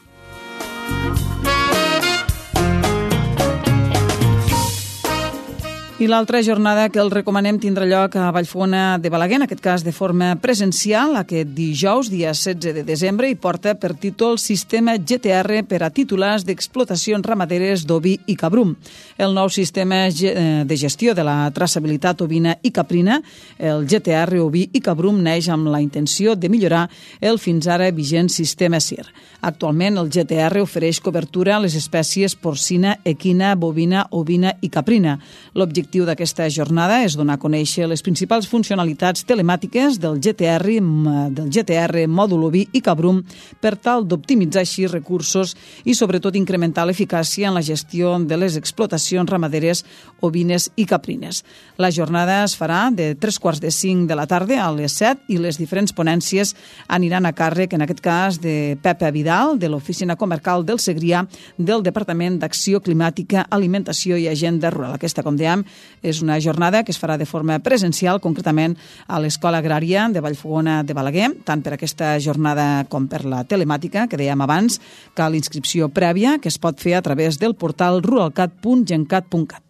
I l'altra jornada que el recomanem tindrà lloc a Vallfogona de Balaguer, en aquest cas de forma presencial, aquest dijous, dia setze de desembre, i porta per títol Sistema G T R per a titulars d'explotacions ramaderes d'oví i cabrum. El nou sistema de gestió de la traçabilitat ovina i caprina, el G T R oví i cabrum, neix amb la intenció de millorar el fins ara vigent sistema S I R. Actualment, el G T R ofereix cobertura a les espècies porcina, equina, bovina, ovina i caprina. L'objectiu L'objectiu d'aquesta jornada és donar a conèixer les principals funcionalitats telemàtiques del G T R, del G T R, mòdul oví i cabrum per tal d'optimitzar així recursos i sobretot incrementar l'eficàcia en la gestió de les explotacions ramaderes ovines i caprines. La jornada es farà de tres quarts de cinc de la tarda a les set i les diferents ponències aniran a càrrec, en aquest cas, de Pepe Vidal, de l'Oficina Comarcal del Segrià, del Departament d'Acció Climàtica, Alimentació i Agenda Rural. Aquesta, com dèiem, és una jornada que es farà de forma presencial, concretament a l'Escola Agrària de Vallfogona de Balaguer. Tant per aquesta jornada com per la telemàtica, que dèiem abans, cal inscripció prèvia que es pot fer a través del portal ruralcat punt gencat punt cat.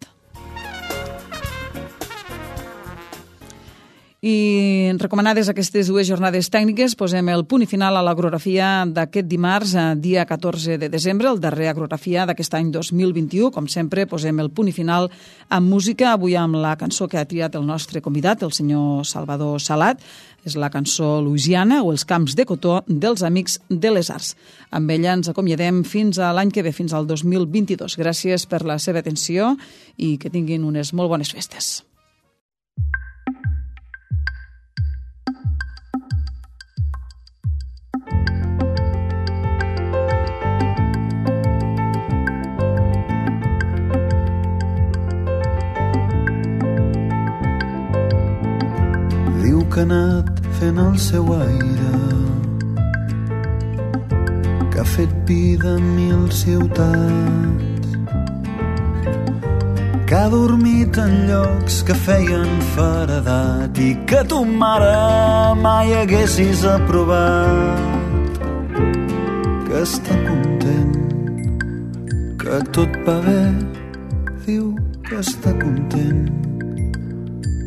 I recomanades aquestes dues jornades tècniques, posem el punt i final a l'agrografia d'aquest dimarts, dia catorze de desembre, el darrer agrografia d'aquest any dos mil vint-i-u. Com sempre, posem el punt i final amb música, avui amb la cançó que ha triat el nostre convidat, el senyor Salvador Salat. És la cançó Louisiana o Els camps de cotó dels Amics de les Arts. Amb ella ens acomiadem fins a l'any que ve, fins al dos mil vint-i-dos. Gràcies per la seva atenció i que tinguin unes molt bones festes. Que ha anat fent el seu aire, que ha fet vida en mil ciutats, que ha dormit en llocs que feien feredat i que tu, mare, mai haguessis aprovat. Que està content, que tot va bé, diu que està content,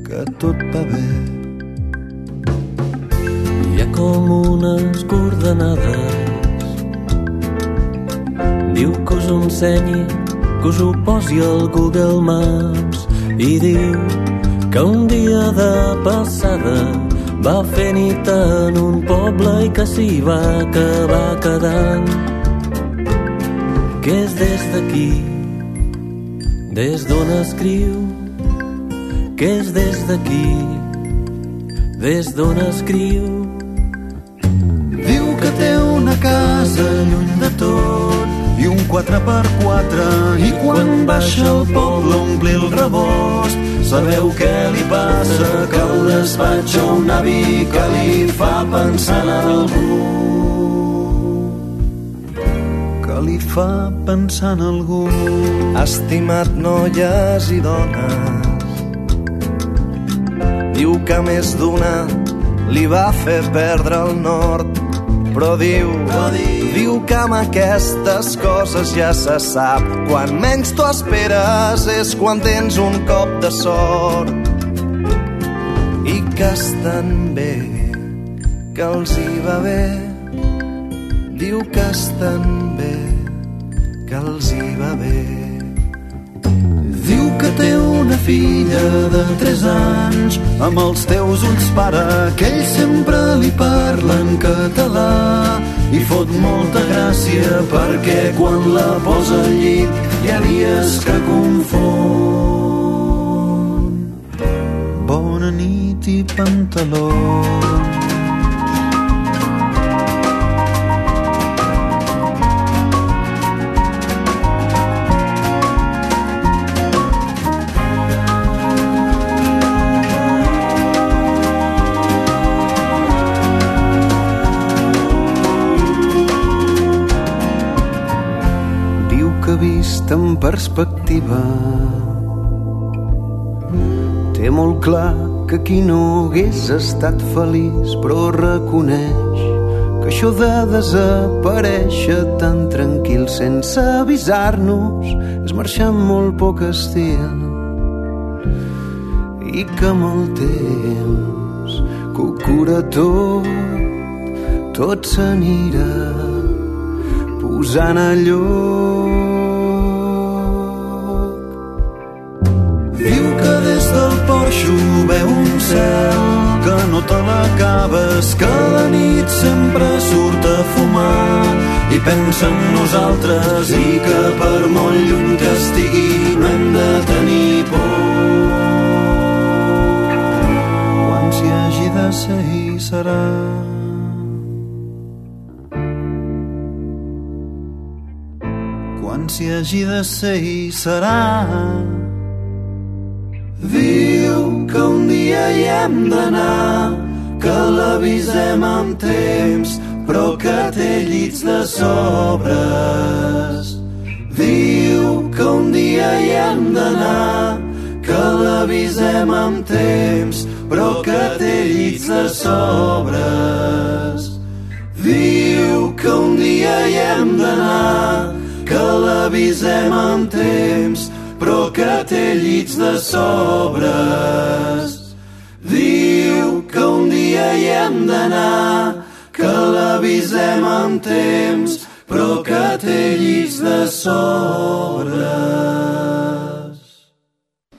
que tot va bé. Hi ha com unes coordenades, diu que us ho ensenyi, que us ho posi al Google Maps, i diu que un dia de passada va fer nit en un poble i que s'hi va acabar quedant. Que és des d'aquí, des d'on escriu, que és des d'aquí, des d'on escriu. Que té una casa lluny de tot i un quatre per quatre i quan baixa al poble omplir el rebost. Sabeu què li passa? Que un despatx o un avi que li fa pensar en algú, que li fa pensar en algú. Estimat noies i dones, diu que més d'una li va fer perdre el nord. Però diu, però diu, diu que amb aquestes coses ja se sap. Quan menys t'ho esperes és quan tens un cop de sort. I que estan bé, que els hi va bé. Diu que estan bé, que els hi va bé. Diu que té una filla de tres anys, amb els teus ulls, pare, que ell sempre li parla en català. I fot molta gràcia perquè quan la posa al llit hi ha dies que confon. Bona nit i pantalons. Vist en perspectiva, té molt clar que aquí no hagués estat feliç, però reconeix que això de desaparèixer tan tranquil sense avisar-nos és marxar amb molt poc estil, i que amb el temps que ho cura tot, tot s'anirà posant a lloc. Porxo veu un cel que no te l'acabes, que la nit sempre surt a fumar i pensa en nosaltres i que per molt lluny que estigui no hem de tenir por. ser i serà. Quan s'hi hagi de ser i serà. Diu que un dia hi hem d'anar, que l'avisem amb temps, però que té llits de sobres. Diu que un dia hi hem d'anar, que l'avisem amb temps, però que té llits de sobres. Diu que un dia hi hem d'anar, que l'avisem amb temps, però que té llits de sobres. Diu que un dia hi hem d'anar, que l'avisem amb temps, però que té llits de sobres.